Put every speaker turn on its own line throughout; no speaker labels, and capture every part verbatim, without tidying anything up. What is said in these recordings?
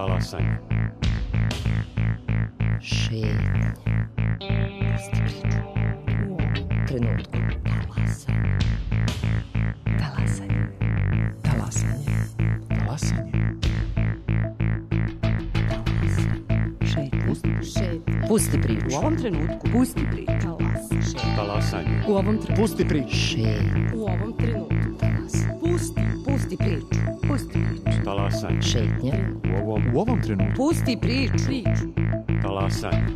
Talasanje.
Šetnje. Pusti priču. U ovom trenutku. Talasanje. Talasanje. Talasanje.
Talasanje.
Šetnje. Pusti priču.
U ovom trenutku. Pusti priču.
Talasanje.
U ovom trenutku.
Pusti priču.
Šetnje.
U ovom trenutku. Pusti. Pusti priču. Pusti priču.
Talasanje.
Šetnje.
U ovom, u ovom trenutku.
Pusti priču. Priču.
Talasanje.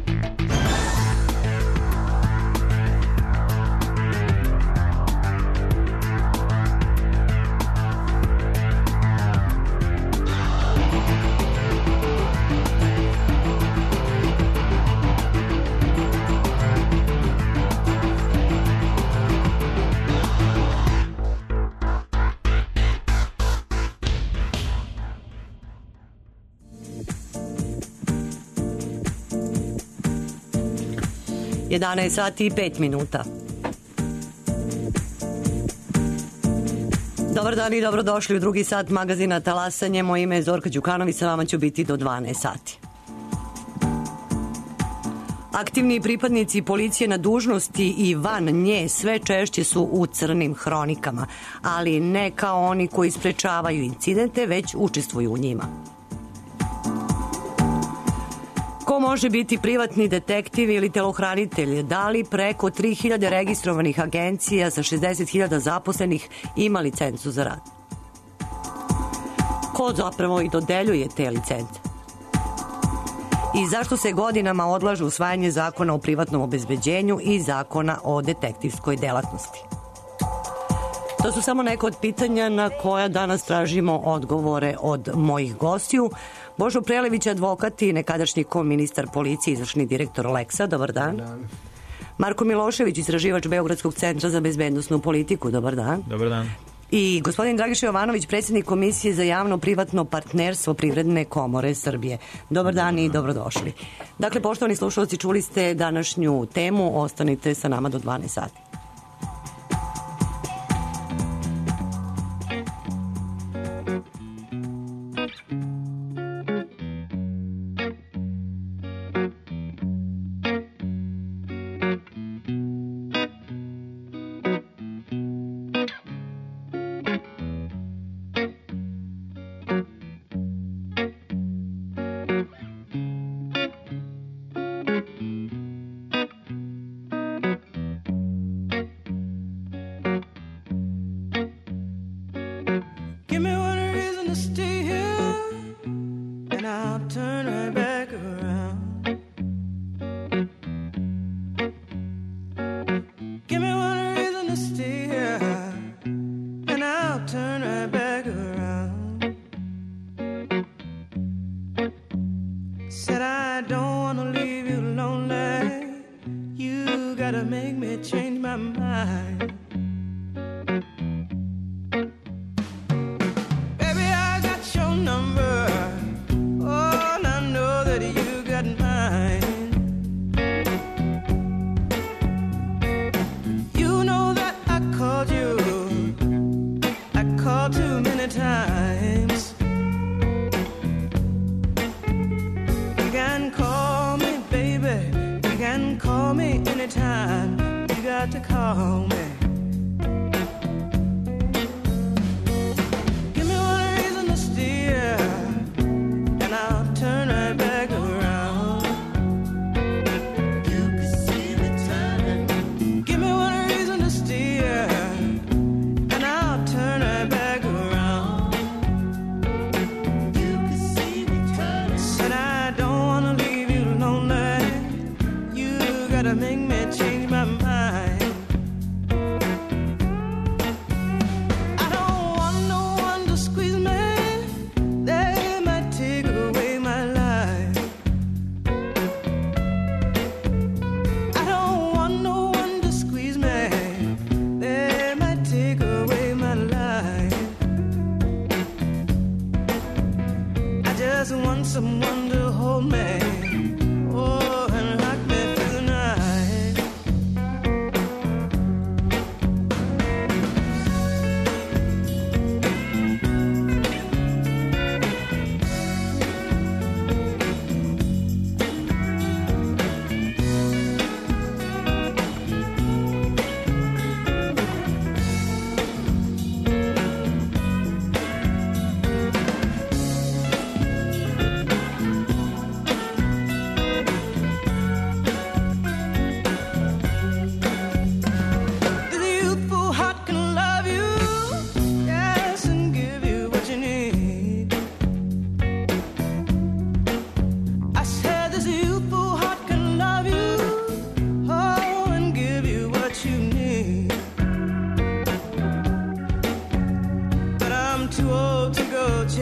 jedanaest sati i pet minuta. Dobar dan i dobrodošli u drugi sat magazina Talasanje. Moje ime je Zorka Đukanović, sa vama ću biti do dvanaest sati. Aktivni pripadnici policije na dužnosti i van nje sve češće su u crnim hronikama, ali ne kao oni koji sprečavaju incidente, već učestvuju u njima. Ko može biti privatni detektiv ili telohranitelj? Da li preko tri hiljade registrovanih agencija sa šezdeset hiljada zaposlenih ima licencu za rad? Ko zapravo i dodeljuje te licence? I zašto se godinama odlaže usvajanje zakona o privatnom obezbeđenju i zakona o detektivskoj delatnosti? To su samo neka od pitanja na koja danas tražimo odgovore od mojih gostiju. Božo Prelević, advokat i nekadašnji koministar policije, izvršni direktor Leksa. Dobar dan. Dobar dan. Marko Milošević, istraživač Beogradskog centra za bezbednosnu politiku. Dobar dan.
Dobar dan.
I gospodin Dragiša Jovanović, predsjednik Komisije za javno-privatno partnerstvo Privredne komore Srbije. Dobar dan i dobrodošli. Dakle, poštovani slušalci, čuli ste današnju temu. Ostanite sa nama do dvanaest sati.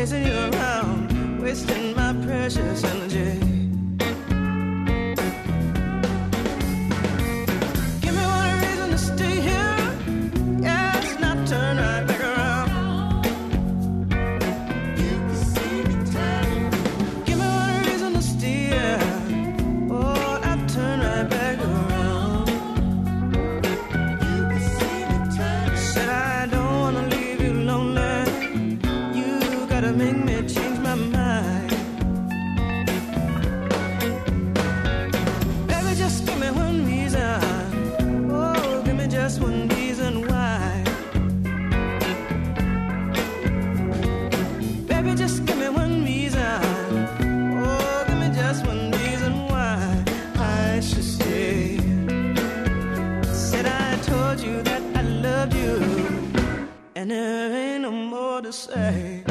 chasing you around, wasting my precious energy. Give me one reason to stay here, yes, not turn right back around. You can see me turning. Give me one reason to stay here, oh, not turn right back around. You can see me turning. Said I don't wanna leave you lonely. You gotta make me change my mind. Baby, just give me one reason. Oh, give me just one reason why. Baby, just give me one reason. Oh, give me just one reason why I should stay. Said I told you that I loved you, and there ain't no more to say.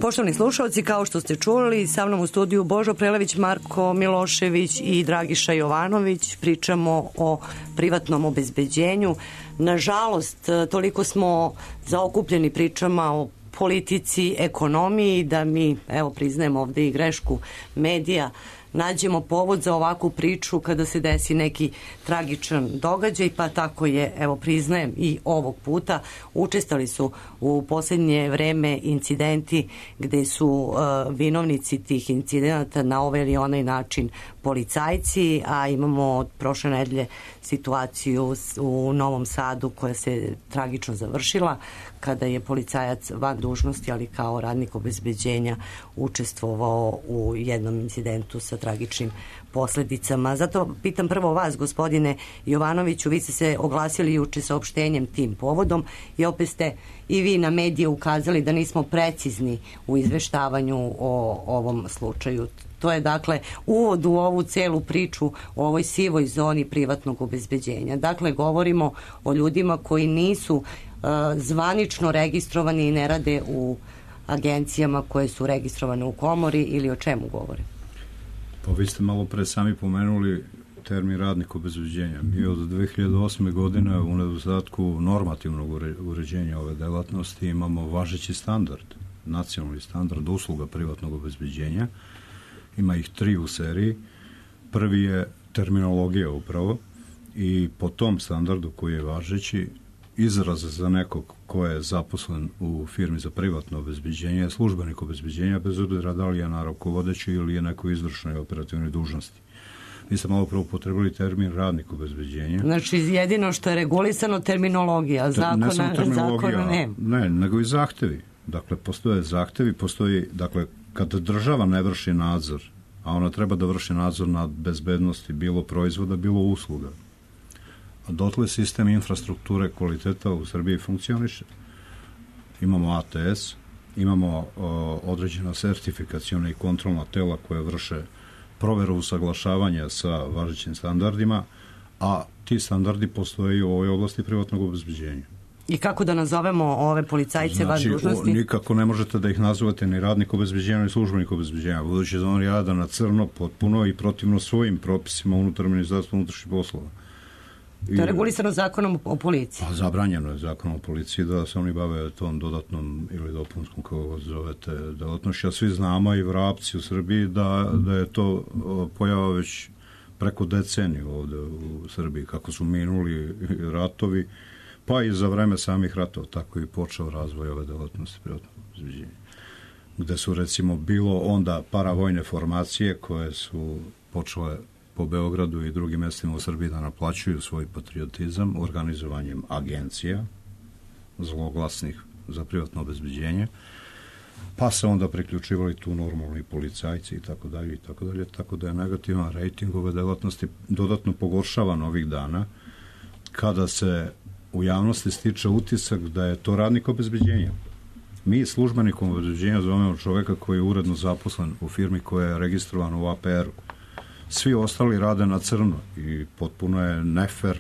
Poštovani slušalci, kao što ste čuli, sa mnom u studiju Božo Prelević, Marko Milošević i Dragiša Jovanović. Pričamo o privatnom obezbeđenju. Nažalost, toliko smo zaokupljeni pričama o politici, ekonomiji, da mi, evo, priznajemo ovde i grešku medija, nađemo povod za ovakvu priču kada se desi neki tragičan događaj, pa tako je, evo, priznajem i ovog puta. Učestali su u posljednje vreme incidenti gde su uh, vinovnici tih incidenata na ovaj ili onaj način policajci, a imamo od prošle nedelje situaciju u Novom Sadu koja se tragično završila kada je policajac van dužnosti, ali kao radnik obezbeđenja, učestvovao u jednom incidentu sa tragičnim posledicama. Zato pitam prvo vas, gospodine Jovanoviću, vi ste se oglasili juče saopštenjem tim povodom i opet ste i vi na medije ukazali da nismo precizni u izveštavanju o ovom slučaju. To je, dakle, uvod u ovu celu priču o ovoj sivoj zoni privatnog obezbeđenja. Dakle, govorimo o ljudima koji nisu uh, zvanično registrovani i ne rade u agencijama koje su registrovane u komori, ili o čemu govore?
Pa vi ste malo pre sami pomenuli termin radnik obezbeđenja. Mi od dve hiljade osme. godine u nedostatku normativnog uređenja ove delatnosti imamo važeći standard, nacionalni standard usluga privatnog obezbeđenja. Ima ih tri u seriji. Prvi je terminologija upravo i po tom standardu koji je važeći, izraz za nekog ko je zaposlen u firmi za privatno obezbeđenje je službenik obezbeđenja, bez obzira da li je na rukovodećoj ili je neko izvršnoj operativnoj dužnosti. Mi ste malo prvo potrebili termin radnik obezbeđenja. Znači,
jedino što je regulisano terminologija, zakona,
ne samo terminologija,
zakona ne.
Ne, nego i zahtevi. Dakle, postoje zahtevi, postoji, dakle, kada država ne vrši nadzor, a ona treba da vrši nadzor nad bezbednosti bilo proizvoda, bilo usluga, a dotle sistem infrastrukture kvaliteta u Srbiji funkcioniše. Imamo A T S, imamo o, određena sertifikaciona i kontrolna tela koje vrše proveru usaglašavanja sa važećim standardima, a ti standardi postoje u ovoj oblasti privatnog obezbeđenja.
I kako da nazovemo ove policajce
znači,
van dužnosti?
O, nikako ne možete da ih nazovete ni radnik obezbeđenja, ni službenik obezbeđenja, budući da oni rada na crno, potpuno i protivno svojim propisima unutar Ministarstva unutrašnjih poslova.
I, to je regulisano zakonom o policiji?
Pa zabranjeno je zakonom o policiji da se oni bave tom dodatnom ili dopunskom, kako zovete, delatnošću. A svi znamo i vrapci u Srbiji da, da je to pojava već preko deceniju ovde u Srbiji, kako su minuli ratovi, pa i za vreme samih ratova, tako i počeo razvoj ove delatnosti privatnog obezbeđenja. Gde su, recimo, bilo onda paravojne formacije koje su počele po Beogradu i drugim mestima u Srbiji da naplaćuju svoj patriotizam organizovanjem agencija zloglasnih za privatno obezbeđenje, pa se onda priključivali tu normalni policajci i tako dalje i tako dalje, tako da je negativan rejting ove delatnosti dodatno pogoršavan ovih dana kada se u javnosti stiče utisak da je to radnik obezbeđenja. Mi službenikom obezbeđenja zovemo čoveka koji je uredno zaposlen u firmi koja je registrovana u A P R-u. Svi ostali rade na crno i potpuno je nefer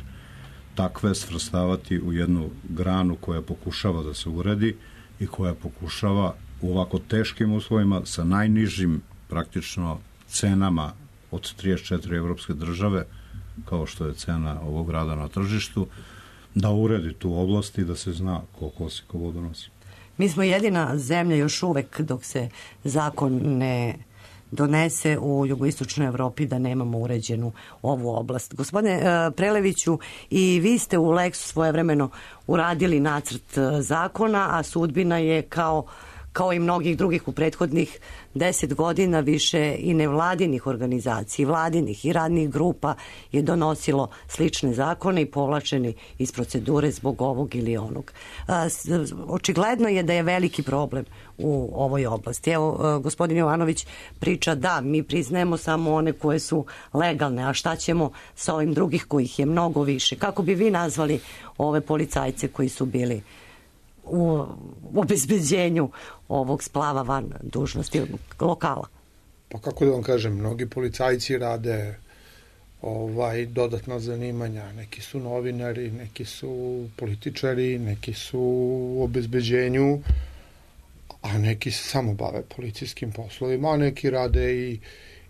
takve svrstavati u jednu granu koja pokušava da se uredi i koja pokušava u ovako teškim uslovima sa najnižim praktično cenama od trideset četiri evropske države kao što je cena ovog rada na tržištu, da uredi tu oblast i da se zna ko kosi, ko vodu nosi.
Mi smo jedina zemlja još uvek dok se zakon ne donese u jugoistočnoj Evropi da nemamo uređenu ovu oblast. Gospodine uh, Preleviću, i vi ste u Leksu svojevremeno uradili nacrt uh, zakona, a sudbina je kao kao i mnogih drugih u prethodnih deset godina više i nevladinih organizacija, vladinih i radnih grupa je donosilo slične zakone i povlačeni iz procedure zbog ovog ili onog. Očigledno je da je veliki problem u ovoj oblasti. Evo, gospodin Jovanović priča da mi priznajemo samo one koje su legalne, a šta ćemo sa ovim drugih kojih je mnogo više? Kako bi vi nazvali ove policajce koji su bili u obezbeđenju ovog splava van dužnosti lokala?
Pa kako da vam kažem, mnogi policajci rade ovaj dodatna zanimanja, neki su novinari, neki su političari, neki su u obezbeđenju, a neki se samo bave policijskim poslovima, a neki rade i,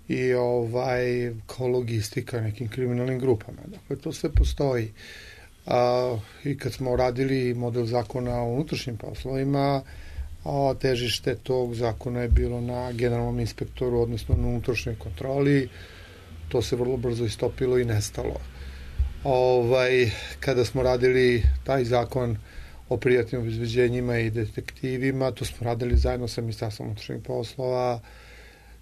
i ovaj kao logistika nekim kriminalnim grupama. Dakle, to sve postoji. A, i kad smo radili model zakona o unutrašnjim poslovima, a težište tog zakona je bilo na generalnom inspektoru, odnosno na unutrašnjoj kontroli, to se vrlo brzo istopilo i nestalo. Ovaj, kada smo radili taj zakon o privatnim obezbeđenjima i detektivima, to smo radili zajedno sa Ministarstvom unutrašnjih poslova,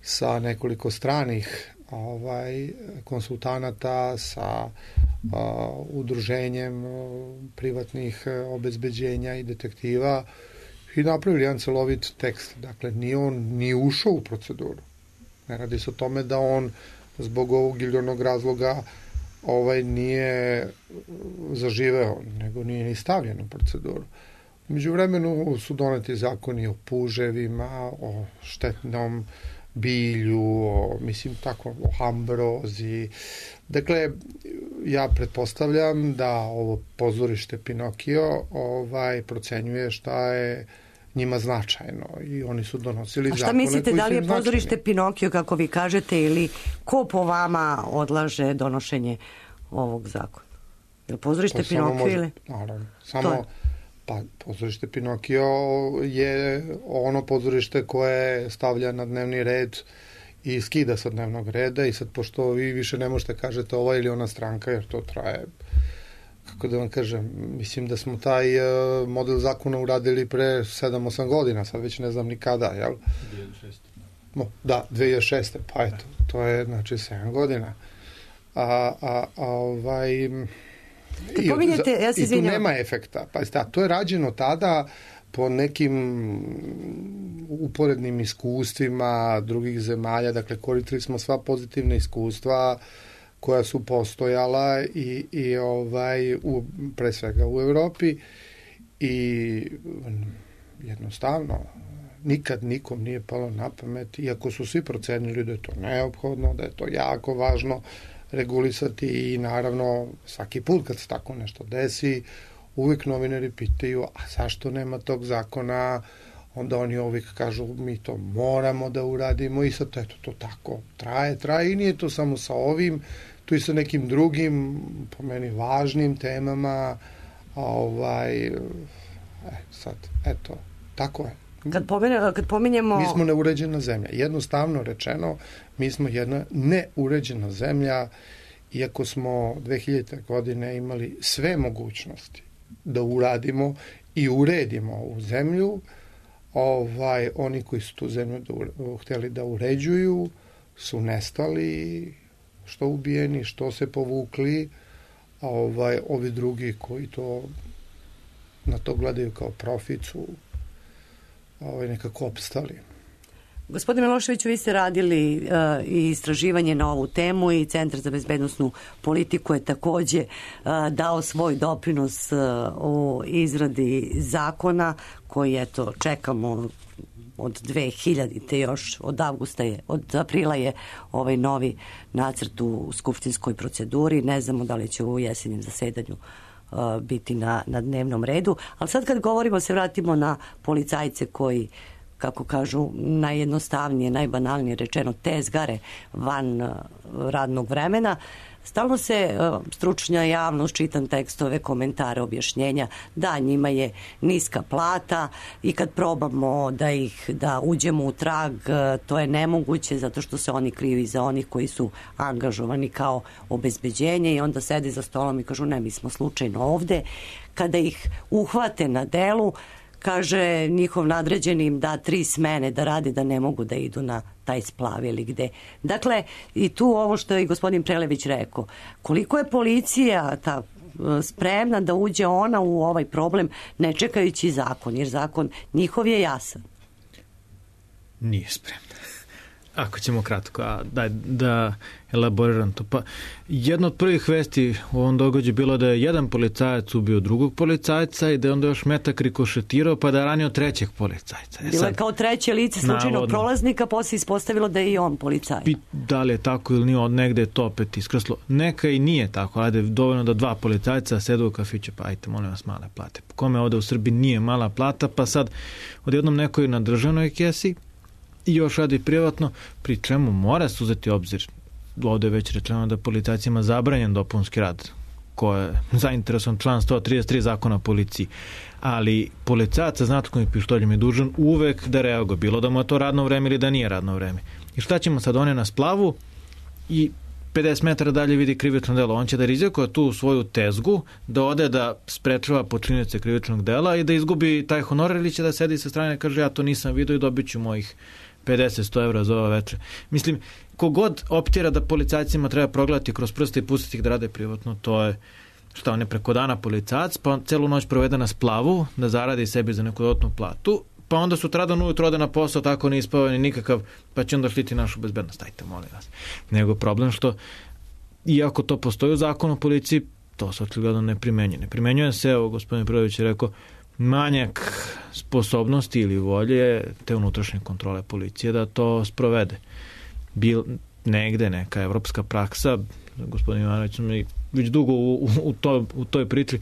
sa nekoliko stranih ovaj, konsultanata, sa a, udruženjem privatnih obezbeđenja i detektiva i napravili jedan celovit tekst. Dakle, nije on ni ušao u proceduru. Ne radi se o tome da on zbog ovog ili onog razloga ovaj nije zaživeo, nego nije ni stavljen u proceduru. U međuvremenu su doneti zakoni o puževima, o štetnom bilju, o, mislim tako, o ambrozi. Dakle, ja pretpostavljam da ovo pozorište Pinokio ovaj, procenjuje šta je njima značajno i oni su donosili zakone.
A šta mislite, da li je pozorište
značajni.
Pinokio, kako vi kažete, ili ko po vama odlaže donošenje ovog zakona? Je li pozorište
To
Pinokio
može,
ili?
Naravno, samo pa pozorište Pinokio je ono pozorište koje stavlja na dnevni red i skida sa dnevnog reda i sad pošto vi više ne možete kažete ova ili ona stranka, jer to traje, kako da vam kažem, mislim da smo taj model zakona uradili pre sedam osam godina, sad već ne znam ni kada, jel?
dve hiljade šeste.
No, da, dve hiljade šeste, pa eto, to je znači sedam godina. A, a, a ovaj... I,
Pominjete, ja se
I tu
izvinjam.
nema efekta. Pa, sta, to je rađeno tada po nekim uporednim iskustvima drugih zemalja, dakle koristili smo sva pozitivna iskustva koja su postojala i, i ovaj, u, pre svega u Evropi i jednostavno nikad nikom nije palo na pamet, iako su svi procenili da je to neophodno, da je to jako važno regulisati i naravno svaki put kad se tako nešto desi uvijek novinari pitaju a zašto nema tog zakona, onda oni uvijek kažu mi to moramo da uradimo i sad eto to tako traje, traje i nije to samo sa ovim, tu i sa nekim drugim po meni važnim temama, a ovaj e, sad eto tako je.
Kad, pomene, kad pominjemo...
Mi smo neuređena zemlja. Jednostavno rečeno, mi smo jedna neuređena zemlja, iako smo dve hiljadite godine imali sve mogućnosti da uradimo i uredimo ovu zemlju, ovaj, oni koji su tu zemlju da ure, htjeli da uređuju su nestali, što ubijeni, što se povukli, a ovaj, ovi drugi koji to na to gledaju kao profit su ovaj, nekako opstali.
Gospodine Miloševiću, vi ste radili uh, i istraživanje na ovu temu i Centar za bezbednosnu politiku je takođe uh, dao svoj doprinos uh, u izradi zakona koji eto čekamo od dve hiljadite još, od avgusta je, od aprila je ovaj novi nacrt u skupštinskoj proceduri, ne znamo da li će u jesenjem zasedanju uh, biti na, na dnevnom redu, ali sad kad govorimo se vratimo na policajce koji kako kažu, najjednostavnije, najbanalnije rečeno, tezgare van uh, radnog vremena. Stalno se uh, stručna javnost, čitam tekstove, komentare, objašnjenja, da njima je niska plata i kad probamo da ih da uđemo u trag, uh, to je nemoguće zato što se oni krivi za onih koji su angažovani kao obezbeđenje i onda sede za stolom i kažu ne, mi smo slučajno ovde. Kada ih uhvate na delu, kaže njihov nadređeni im da tri smene da rade, da ne mogu da idu na taj splav ili gde. Dakle, i tu ovo što je i gospodin Prelević rekao, koliko je policija ta spremna da uđe ona u ovaj problem ne čekajući zakon, jer zakon njihov je jasan.
Nije spremna. Ako ćemo kratko, a daj da elaboriram to. Pa, jedna od prvih vesti u ovom događaju bilo da je jedan policajac ubio drugog policajca i da je onda još metak rikošetirao pa da je ranio trećeg policajca. E,
bilo je kao treće lice slučajnog
navodno
prolaznika, posle ispostavilo da je i on policajac.
Da li je tako ili nije, od negde je to opet iskrslo. Neka i nije tako, ajde, dovoljno da dva policajca sedu u kafiću, pa ajte, molim vas, male plate. Kome ovde u Srbiji nije mala plata, pa sad odjednom nekoj na državnoj kesi i još radi privatno, pri čemu mora se uzeti obzir, ovde je već rečeno da policajcima zabranjen dopunski rad, ko je zainteresovan član sto trideset tri zakona o policiji, ali policajac sa znatkom i pištoljem je dužan uvek da reaguje, bilo da mu je to radno vreme ili da nije radno vreme. I šta ćemo sad, on je na splavu i pedeset metara dalje vidi krivično delo, on će da rizikuje tu svoju tezgu, da ode da sprečava počinioce krivičnog dela i da izgubi taj honorar ili će da sedi sa strane i kaže ja to nisam vidio i dobit ću mojih pedeset do sto evra za ova večer. Mislim, kogod optira da policajcima treba progledati kroz prste i pustiti ih da rade privatno, to je šta, on je preko dana policajac, pa celu noć provede na splavu da zaradi sebi za neku dodatnu platu, pa onda sutradan ujutro ode na posao, tako ne ispao ni nikakav, pa će onda štiti našu bezbednost. Ajte, molim vas. Nego problem što, iako to postoji u zakonu o policiji, to se očigledno ne primenjuje. Ne primenjuje se, evo, gospodin Prelević je rekao, manjak sposobnosti ili volje te unutrašnje kontrole policije da to sprovede. Bil negde neka evropska praksa, gospodin Ivanović mi već dugo u, u, u, to, u toj priči,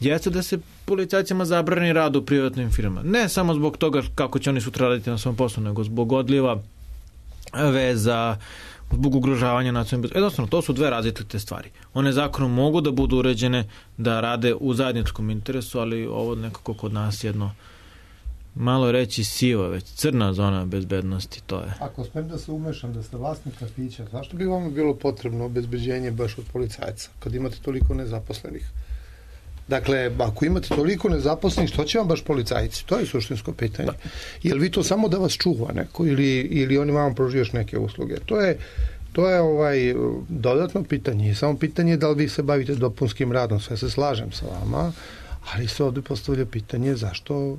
jeste da se policajcima zabrani rad u privatnim firmama. Ne samo zbog toga kako će oni sutra raditi na svom poslu, nego zbog odliva veza, zbog ugrožavanja nacionalne bezbednosti. Jednostavno, to su dve različite stvari. One zakonom mogu da budu uređene da rade u zajedničkom interesu, ali ovo nekako kod nas jedno malo reći siva, već crna zona bezbednosti, to je.
Ako smem da se umešam, da ste vlasnik kafića, zašto bi vam bilo potrebno obezbeđenje baš od policajca, kad imate toliko nezaposlenih? Dakle, ako imate toliko nezaposlenih, što će vam baš policajci? To je suštinsko pitanje. Je li vi to samo da vas čuva neko ili, ili oni vam pružaju još neke usluge? To je, to je ovaj dodatno pitanje. Samo pitanje je da li vi se bavite dopunskim radom. Sve se slažem sa vama, ali se ovdje postavlja pitanje zašto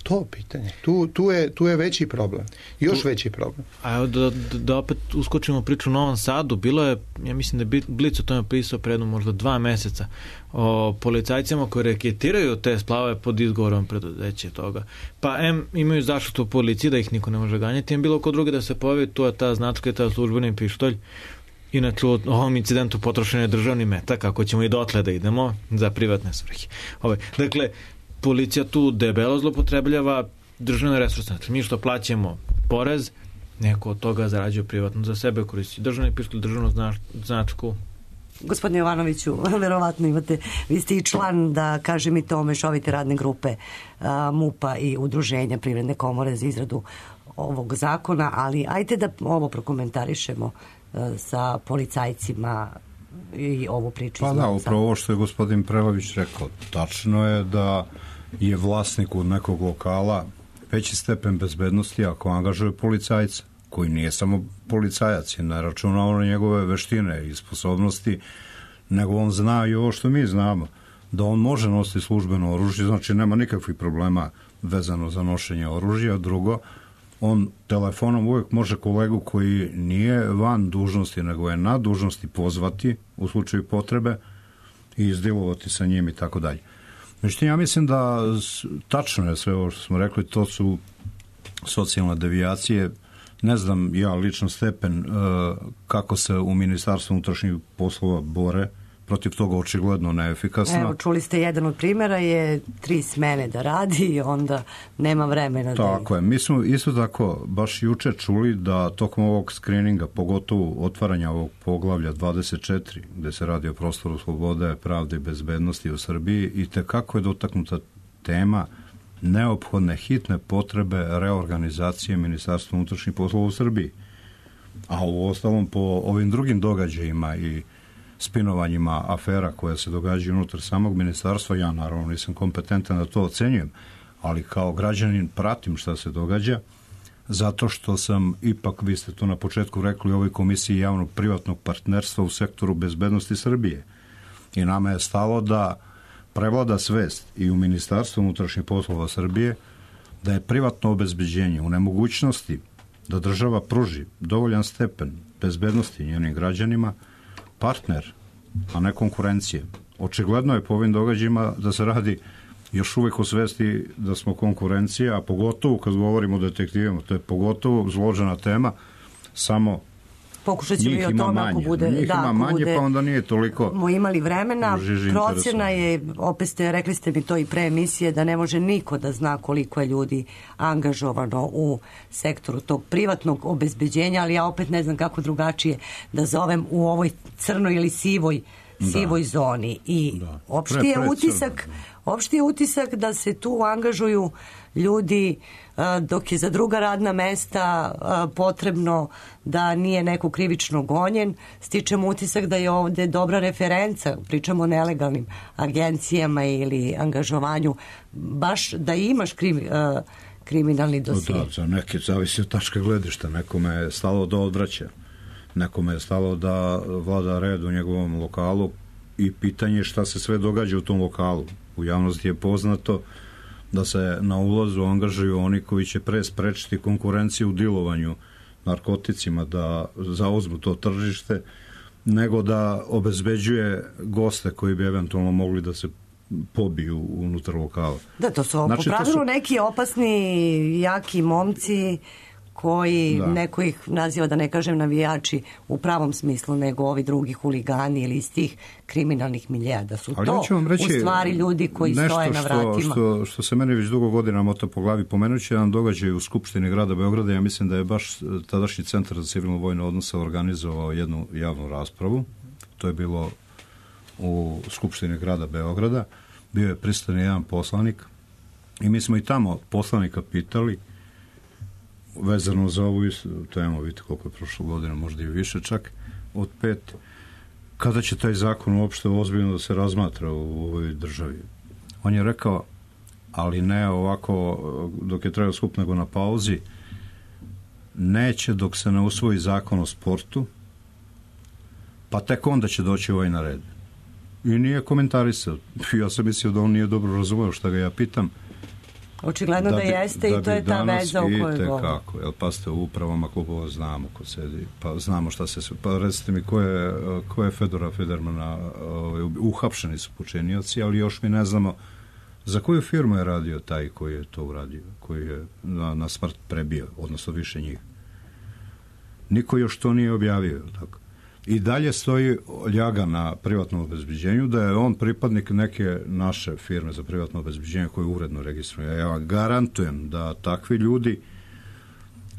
to pitanje. Tu, tu, je, tu je veći problem. Još tu, veći problem.
A evo da, da, da opet uskočimo priču u Novom Sadu. Bilo je, ja mislim da je Blic o tome pisao pre jedno možda dva meseca o policajcima koji reketiraju te splavove pod izgovorom preduzeće toga. Pa em imaju zaštitu u policiji da ih niko ne može ganjati, em bilo kod druge da se pojavi tu je ta značka i ta službeni pištolj. Inače u ovom incidentu potrošen je državni metak, ako ćemo i dotle da idemo za privatne svrhe. Ove, dakle, policija tu debelo zlopotrebljava državne resurse. Znači, mi što plaćamo porez, neko od toga zarađuje privatno za sebe, koristi državni pištolj, državnu značku.
Gospodine Jovanoviću, verovatno imate, vi ste i član, da kažem i to, mešovite radne grupe a, MUP-a i udruženja Privredne komore za izradu ovog zakona, ali ajte da ovo prokomentarišemo a, sa policajcima i ovu priču.
Pa da, upravo ovo što je gospodin Prelević rekao, tačno je da je vlasniku nekog lokala veći stepen bezbednosti ako angažuje policajca, koji nije samo policajac i ne računao na njegove veštine i sposobnosti, nego on zna i ovo što mi znamo, da on može nositi službeno oružje, znači nema nikakvih problema vezano za nošenje oružja. Drugo, on telefonom uvijek može kolegu koji nije van dužnosti, nego je na dužnosti, pozvati u slučaju potrebe i izdilovati sa njim i tako dalje. Međutim, ja mislim da tačno je sve ovo što smo rekli, to su socijalne devijacije. Ne znam ja lično stepen uh, kako se u Ministarstvu unutrašnjih poslova bore protiv toga očigledno neefikasna.
Evo, čuli ste, jedan od primjera je tri smene da radi i onda nema vremena.
Tako
da...
je. Mi smo isto tako baš juče čuli da tokom ovog skrininga, pogotovo otvaranja ovog poglavlja dvadeset četiri, gde se radi o prostoru slobode, pravde i bezbednosti u Srbiji, i tekako je dotaknuta tema neophodne hitne potrebe reorganizacije Ministarstva unutrašnjih poslova u Srbiji. A u ostalom po ovim drugim događajima i spinovanjima afera koja se događaju unutar samog ministarstva, ja naravno nisam kompetentan da to ocenjujem, ali kao građanin pratim šta se događa, zato što sam ipak, vi ste to na početku rekli, u ovoj komisiji javnog privatnog partnerstva u sektoru bezbednosti Srbije. I nama je stalo da prevlada svest i u Ministarstvu unutrašnjih poslova Srbije da je privatno obezbeđenje u nemogućnosti da država pruži dovoljan stepen bezbednosti njenim građanima partner, a ne konkurencije. Očigledno je po ovim događajima da se radi još uvijek o svesti da smo konkurencija, a pogotovo kad govorimo o detektivima, to je pogotovo zložena tema, samo
pokušat ćemo i o tome ako bude,
njih
da,
ima
ako
manje,
bude,
pa onda nije toliko
smo imali vremena. Procjena je, opet ste, rekli ste mi to i pre emisije, da ne može niko da zna koliko je ljudi angažovano u sektoru tog privatnog obezbeđenja, ali ja opet ne znam kako drugačije da zovem u ovoj crnoj ili sivoj sivoj da. zoni. I da. opšti je pre, utisak opšti je utisak da se tu angažuju ljudi dok je za druga radna mesta potrebno da nije neko krivično gonjen. Stičemo utisak da je ovde dobra referenca, pričamo o nelegalnim agencijama ili angažovanju, baš da imaš krimi, kriminalni dosije.
Da, za neke zavisi od tačka gledišta. Nekome je stalo da odvraća, nekome je stalo da vlada red u njegovom lokalu i pitanje šta se sve događa u tom lokalu. U javnosti je poznato da se na ulazu angažuju oni koji će pre sprečiti konkurenciju u dilovanju narkoticima, da zauzmu to tržište, nego da obezbeđuje goste koji bi eventualno mogli da se pobiju unutar lokala.
Da, to su
znači,
po pravilu
su...
neki opasni, jaki momci koji da. neko ih naziva, da ne kažem navijači u pravom smislu, nego ovi drugi huligani ili iz tih kriminalnih miljeja, da su ali to ja reći, u stvari ljudi koji stoje na vratima.
Nešto što, što se meni već dugo godina mota po glavi, pomenući jedan događaj u Skupštini grada Beograda, ja mislim da je baš tadašnji Centar za civilno vojne odnose organizovao jednu javnu raspravu. To je bilo u Skupštini grada Beograda. Bio je prisutan jedan poslanik i mi smo i tamo poslanika pitali vezano za ovu temu, vidite koliko je prošlo godina, možda i više čak od pet, kada će taj zakon uopšte ozbiljno da se razmatra u ovoj državi. On je rekao, ali ne ovako dok je trajao skup, nego na pauzi, neće dok se ne usvoji zakon o sportu, pa tek onda će doći ovaj na red. I nije komentarisao. Ja sam mislio da on nije dobro razumeo šta ga ja pitam.
Očigledno da, da jeste da i to je ta veza u kojoj govori.
Kako, jel pa ste u upravama klubova, znamo ko sedi, pa znamo šta se, pa recite mi ko je, ko je Fedora Federmana, uhapšeni su počinioci, ali još mi ne znamo za koju firmu je radio taj koji je to uradio, koji je na, na smrt prebio, odnosno više njih. Niko još to nije objavio, tako. I dalje stoji ljaga na privatnom obezbeđenju da je on pripadnik neke naše firme za privatno obezbeđenje koje uredno registruje. Ja vam garantujem da takvi ljudi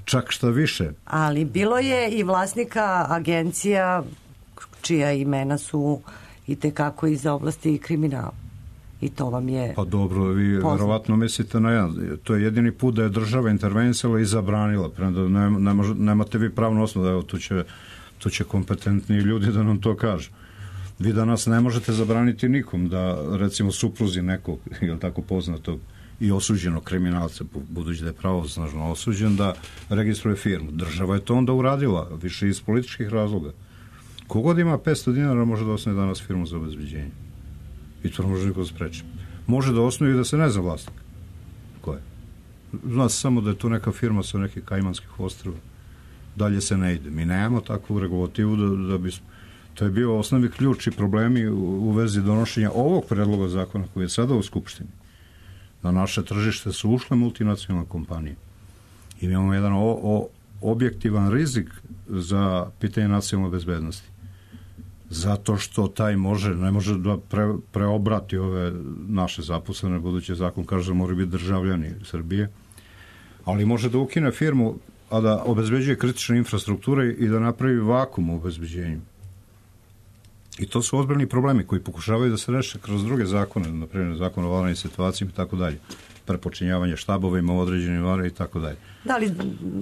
čak šta više.
Ali bilo je i vlasnika agencija čija imena su i tekako iz oblasti kriminala. I to vam je
Pa dobro, vi verovatno mislite na jedan. To je jedini put da je država intervenisala i zabranila. Prema ne, ne može, nemate vi pravno osnovu da evo tu će to će kompetentni ljudi da nam to kažu. Vi danas ne možete zabraniti nikom da, recimo, supruzi nekog, ili tako poznatog i osuđenog kriminalca, budući da je pravosnažno osuđen, da registruje firmu. Država je to onda uradila, više iz političkih razloga. Kogod ima petsto dinara može da osnovi danas firmu za obezbeđenje. I to ne može niko spreći. Može da osnovi i da se ne zna vlasnik. Ko je? Zna se samo da je to neka firma sa nekih Kajmanskih ostrva. Dalje se ne ide. Mi nemamo takvu regulativu da, da bi... To je bio osnovni ključ i problemi u, u vezi donošenja ovog predloga zakona koji je sada u Skupštini. Na naše tržište su ušle multinacionalne kompanije. I imamo jedan o, o, objektivan rizik za pitanje nacionalne bezbednosti. zato što taj može, ne može da pre, preobrati ove naše zaposlene, budući zakon kaže da moraju biti državljani Srbije, ali može da ukine firmu, a da obezbeđuje kritične infrastrukture i da napravi vakum u obezbeđenju. I to su ozbiljni problemi koji pokušavaju da se reše kroz druge zakone, na primjer zakon o vanrednim situacijama i tako dalje, prepočinjavanje štabovima u određenim varima i tako dalje.
Da li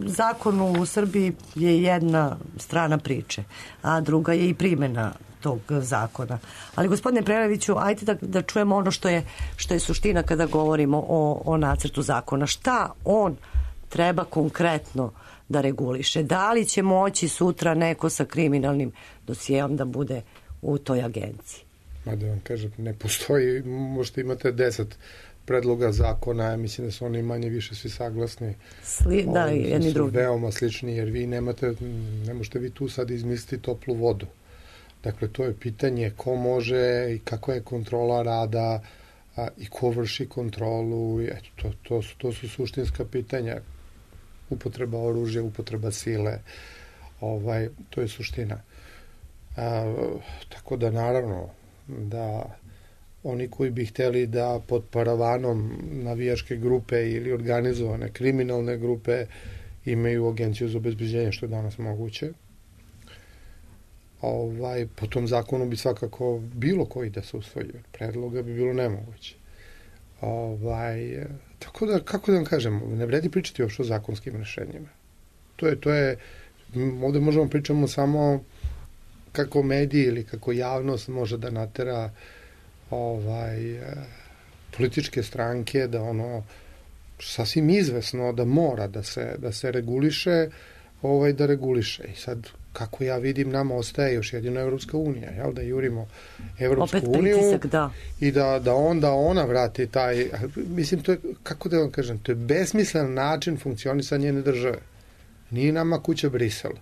zakon u Srbiji je jedna strana priče, a druga je i primjena tog zakona. Ali gospodine Preleviću, ajde da, da čujemo ono što je, što je suština kada govorimo o, o nacrtu zakona. Šta on treba konkretno da reguliše? Da li će moći sutra neko sa kriminalnim dosijeom da bude u toj agenciji?
Ma da vam kažem, ne postoji, možete imate deset predloga zakona, mislim da su oni manje više svi saglasni.
Sli, da,
Ovi,
jedni
su
drugi.
veoma slični, jer vi nemate, ne možete vi tu sad izmisliti toplu vodu. Dakle, to je pitanje ko može i kako je kontrola rada a, i ko vrši kontrolu. I eto, to, to, su, to su suštinska pitanja. Upotreba oružja, upotreba sile. Ovaj, to je suština. A, tako da, naravno, da oni koji bi hteli da pod paravanom navijačke grupe ili organizovane kriminalne grupe imaju agenciju za obezbeđenje, što je danas moguće. Ovaj, po tom zakonu bi svakako bilo koji da se usvoji. Predloga bi bilo nemoguće. Ovaj, tako da, kako da vam kažem, ne vredi pričati uopšte o zakonskim rešenjima. To je, to je, ovde možemo pričamo samo kako mediji ili kako javnost može da natera ovaj, političke stranke da ono sasvim izvesno da mora da se, da se reguliše, ovaj, da reguliše. I sad, kako ja vidim, nama ostaje još jedino Evropska unija, jel, da jurimo Evropsku
Opet
uniju
pritisak, da.
i da, da onda ona vrati taj, mislim, to je, kako da vam kažem, to je besmislen način funkcionisanja njene države. Nije nama kuća Brisel.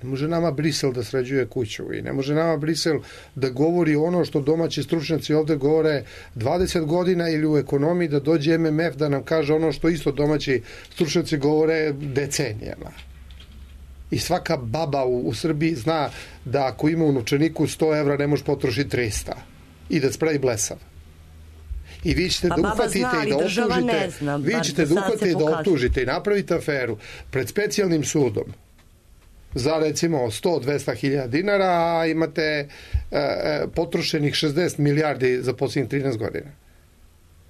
Ne može nama Brisel da sređuje kuću i ne može nama Brisel da govori ono što domaći stručnjaci ovde govore dvadeset godina ili u ekonomiji da dođe M M F da nam kaže ono što isto domaći stručnjaci govore decenijama. I svaka baba u, u Srbiji zna da ako ima u novčaniku sto evra ne može potrošiti trista i da spravi blesav. I vi ćete
pa
da uhvatite
zna,
i da optužite,
zna,
vi ćete da uhvatite i da optužite i napravite aferu pred specijalnim sudom za recimo sto do dvesta hiljada dinara, a imate e, e, potrošenih šezdeset milijardi za posljednjih trinaest godina.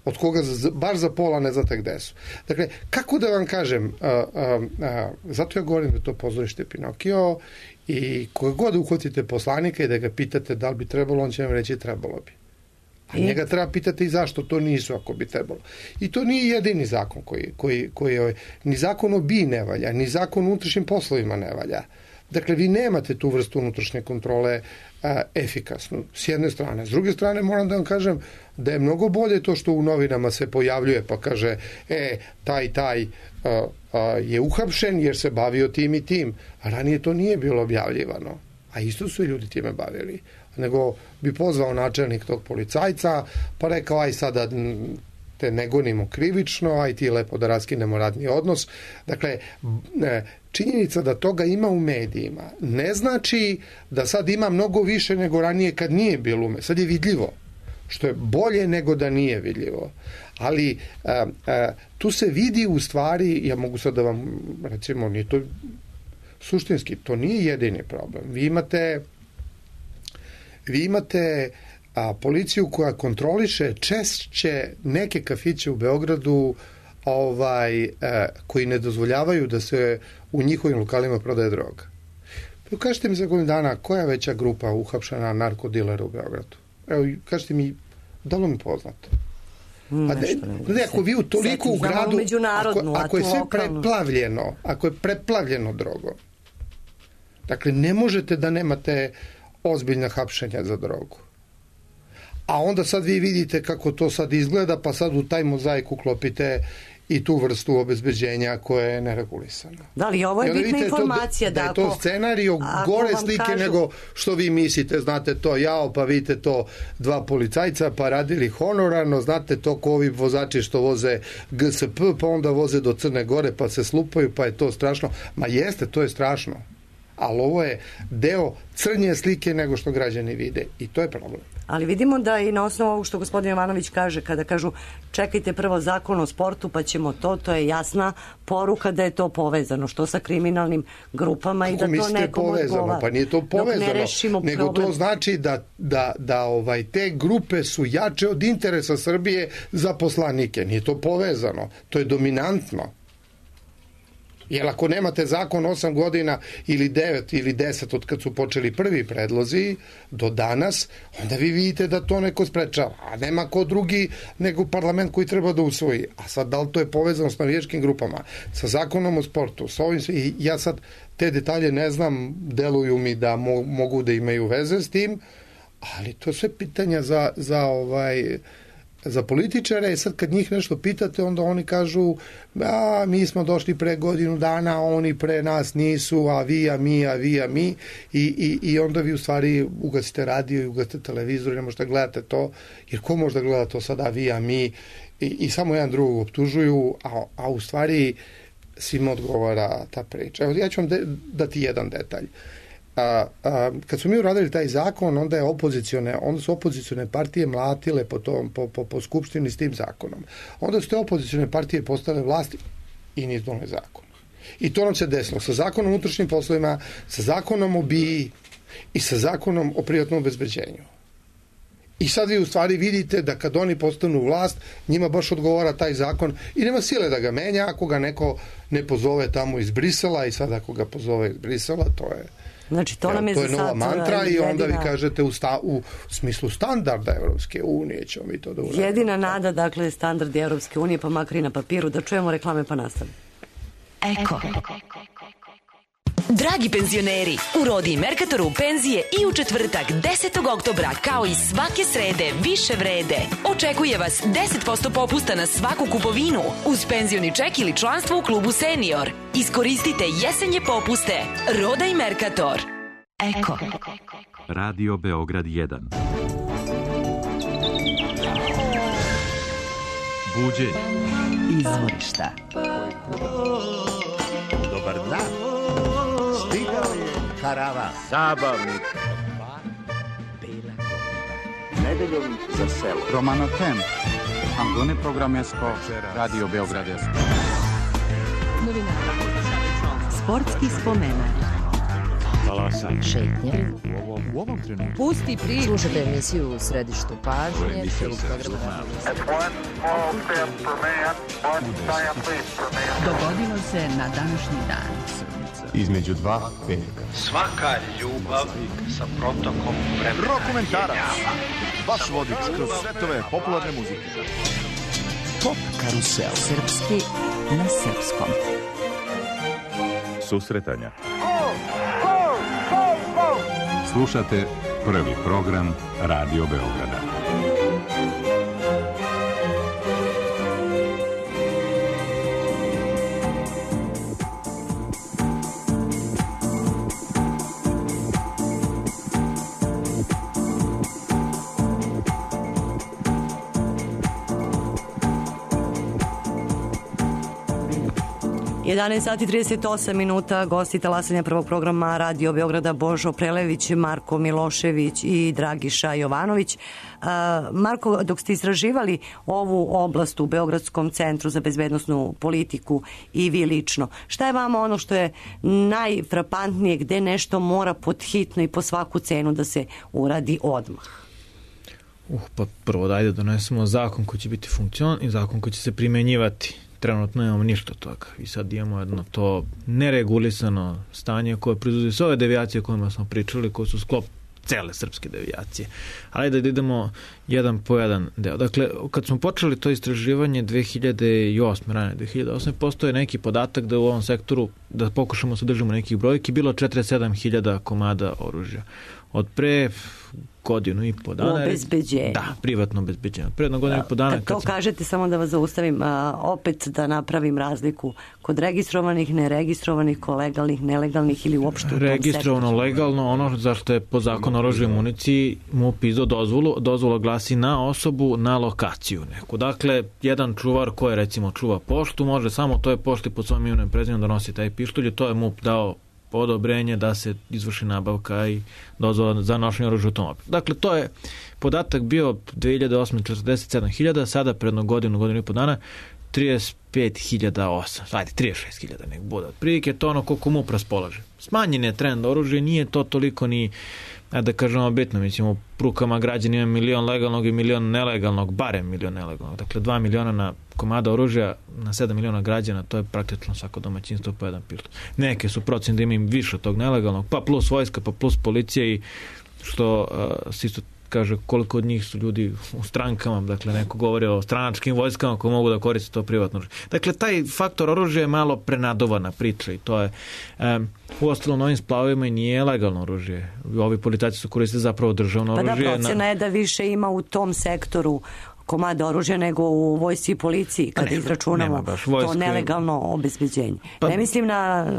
Od koga za, baš za pola ne znate gde su. Dakle, kako da vam kažem, a, a, a, zato ja govorim da to pozorište Pinokio i koga god uhvatite poslanika i da ga pitate da li bi trebalo, on će vam reći trebalo bi. A I? njega treba pitati i zašto to nisu ako bi trebalo. I to nije jedini zakon koji, koji, koji je, ni zakon o B I ne valja, ni zakon o unutrašnjim poslovima ne valja. Dakle, vi nemate tu vrstu unutrašnje kontrole a, efikasnu, s jedne strane. S druge strane, moram da vam kažem da je mnogo bolje to što u novinama se pojavljuje, pa kaže, e, taj, taj a, a, je uhapšen jer se bavio tim i tim. A ranije to nije bilo objavljivano. A isto su i ljudi time bavili. Nego bi pozvao načelnik tog policajca, pa rekao, aj sada te ne gonimo krivično, aj ti lepo da raskinemo radni odnos. Dakle, činjenica da toga ima u medijima ne znači da sad ima mnogo više nego ranije kad nije bilo u medijima. Sad je vidljivo, što je bolje nego da nije vidljivo. Ali a, a, tu se vidi u stvari, ja mogu sad da vam, recimo, nije to suštinski, to nije jedini problem. Vi imate vi imate a, policiju koja kontroliše češće neke kafiće u Beogradu ovaj, a, koji ne dozvoljavaju da se u njihovim lokalima prodaje droga. Pa kažete mi za godinu dana koja je veća grupa uhapšena narkodilera u Beogradu? Evo, kažete mi, da li mi poznato? A ne, ne, ako vi u toliko u gradu, ako, ako je sve preplavljeno, ako je preplavljeno drogom, dakle, ne možete da nemate ozbiljna hapšenja za drogu. A onda sad vi vidite kako to sad izgleda, pa sad u taj mozaik uklopite i tu vrstu obezbeđenja koja je neregulisana.
Da li ovo je bitna informacija?
To, da, da je to scenario gore slike kažu... nego što vi mislite, znate to, jao, pa vidite to dva policajca, pa radili honorarno, znate to ko ovi vozači što voze G S P, pa onda voze do Crne Gore, pa se slupaju, pa je to strašno. Ma jeste, to je strašno. ali ovo je deo crnje slike nego što građani vide i to je problem.
Ali vidimo da i na osnovu ovog što gospodin Jovanović kaže, kada kažu čekajte prvo zakon o sportu pa ćemo to, to je jasna poruka da je to povezano, što sa kriminalnim grupama i da to nekom odgovara.
Pa nije to povezano, nego
problem.
To znači da, da, da ovaj, te grupe su jače od interesa Srbije za poslanike. Nije to povezano, to je dominantno. Jer ako nemate zakon osam godina ili devet ili deset od kad su počeli prvi predlozi do danas, onda vi vidite da to neko sprečava. A nema ko drugi nego parlament koji treba da usvoji. A sad da li to je povezano s navijačkim grupama, sa zakonom o sportu, sa ovim sve. I ja sad te detalje ne znam, deluju mi da mo, mogu da imaju veze s tim, ali to je sve pitanja za, za ovaj... za političare, sad kad njih nešto pitate, onda oni kažu a mi smo došli pre godinu dana, oni pre nas nisu, a vi, a mi, a vi, a mi i, i, i onda vi u stvari ugasite radio i ugasite televizor i ne možete gledate to, jer ko može da gleda to sada, a vi, a mi i, i samo jedan drugog optužuju, a, a u stvari svima odgovara ta priča. Evo, ja ću vam de, dati jedan detalj. A, a, kad smo mi uradili taj zakon, onda je opozicione, onda su opozicione partije mlatile po, tom, po, po, po skupštini s tim zakonom. Onda su te opozicione partije postale vlasti i nisu doneli zakon. I to nam se desilo sa zakonom o unutrašnjim poslovima, sa zakonom o B I I i sa zakonom o privatnom obezbeđenju. I sad vi u stvari vidite da kad oni postanu vlast, njima baš odgovara taj zakon i nema sile da ga menja ako ga neko ne pozove tamo iz Brisela i sad ako ga pozove iz Brisela, to je
Znači, to, nam je,
to je nova mantra i onda vi
jedina...
kažete u, sta, u smislu standarda Evropske unije ćemo mi to da uradimo.
Jedina nada, dakle, standardi Evropske unije, pa makar i na papiru, da čujemo reklame pa nastavimo.
Eko. Dragi penzioneri, u Rodi i Merkatoru penzije i u četvrtak desetog oktobra kao i svake srede više vrede. Očekuje vas deset posto popusta na svaku kupovinu uz penzioni ček ili članstvo u klubu Senior. Iskoristite jesenje popuste. Roda i Merkator. Eko.
Radio Beograd jedan. Buđenje.
Izvorišta.
Dobar dan. Stigao je karavan. Zabavnik. Nedeljom za selo.
Romano Ten. Angone programesko. Radio Beograd.
Sportski spomenak.
Talasanje.
Šetnje.
U ovom, u ovom trenutku.
Pusti priču. Slušajte emisiju u središtu pažnje.
Dogodilo se na današnji dan.
Između dva veka.
Svaka ljubav sa protokom vremena.
Rokomentarac. Vaš vodič kroz svetove popularne muzike.
Pop karusel.
Srpski na srpskom.
Susretanja. Slušate prvi program Radio Beograda.
jedanaest sati i trideset osam minuta, gosti talasanja prvog programa Radio Beograda Božo Prelević, Marko Milošević i Dragiša Jovanović. Marko, dok ste istraživali ovu oblast u Beogradskom centru za bezbednosnu politiku i vi lično, šta je vama ono što je najfrapantnije, gde nešto mora pod hitno i po svaku cenu da se uradi odmah?
Uh, pa prvo dajde donesemo zakon koji će biti funkcionalan i zakon koji će se primenjivati. Trenutno nemamo ništa od toga i sad imamo jedno to neregulisano stanje koje proizvodi sve ove devijacije o kojima smo pričali, koje su sklop cele srpske devijacije. Ali da idemo jedan po jedan deo. Dakle, kad smo počeli to istraživanje dve hiljade osme, rane dve hiljade osme, postoje neki podatak da u ovom sektoru, da pokušamo se držimo nekih brojki, bilo četrdeset sedam hiljada komada oružja. Od pre godinu i po dana.
U obezbeđenju.
Da, privatno obezbeđenje. Pre jedno godinu i po dana.
Kad to kad kažete, samo da vas zaustavim, a, opet da napravim razliku kod registrovanih, neregistrovanih, kod legalnih, nelegalnih ili uopšte u tom sektoru.
Registrovano, legalno, ono zašto je po zakonu o oružju i municiji M U P izdao dozvolu, dozvola glasi na osobu, na lokaciju neku. Dakle, jedan čuvar koji recimo čuva poštu, može samo toj pošti pod svojim imenom i prezimenom da nosi taj pištolj, to je M U P dao odobrenje da se izvrši nabavka i dozvola za nošenje oružja u automobilu. Dakle, to je podatak bio dve hiljade osme četrdeset sedam hiljada, sada predno godinu, godinu i po dana trideset pet hiljada osam, ajde, trideset šest hiljada nek bude. Otprilike to ono koliko MUP raspolaže. Smanjen je trend oružja, nije to toliko ni, da kažemo, bitno. Mislim, u rukama građana ima milion legalnog i milion nelegalnog, barem milion nelegalnog. Dakle, dva miliona na komada oružja na sedam miliona građana, to je praktično svako domaćinstvo po jedan pištolj. Neke su procene da imaju više tog nelegalnog, pa plus vojska, pa plus policija i što uh, se isto kaže koliko od njih su ljudi u strankama, dakle neko govori o stranačkim vojskama koji mogu da koriste to privatno oružje. Dakle, taj faktor oružja je malo prenadovana priča i to je um, u ostalom ovim splavovima i nije legalno oružje. Ovi policajci su koristili zapravo državno oružje.
Pa da, procena je da više ima u tom sektoru komada oružja nego u vojsci i policiji kada nema, izračunamo nema to nelegalno obezbeđenje. Pa, ne mislim na,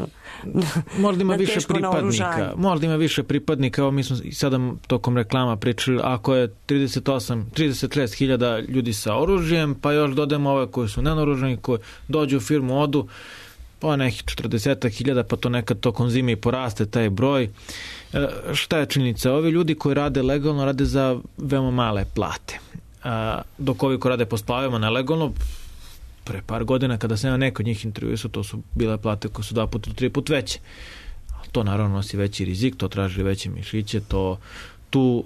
na
možda ima
na
više pripadnika. Možda ima više pripadnika. Evo mi smo sada tokom reklama pričali, ako je trideset osam, trideset šest hiljada ljudi sa oružjem, pa još dodajemo ove koji su nenaoružani, koji dođu u firmu, odu, pa nekih četrdeset hiljada, pa to nekad tokom zime i poraste taj broj. E, šta je činjenica? Ovi ljudi koji rade legalno rade za veoma male plate. A, dok ovi ko rade po splavima nelegalno, pre par godina kada sam ja neko od njih intervjuisao, to su bile plate koje su dva puta do tri put veće. To naravno nosi veći rizik, to traži veće mišiće, to tu,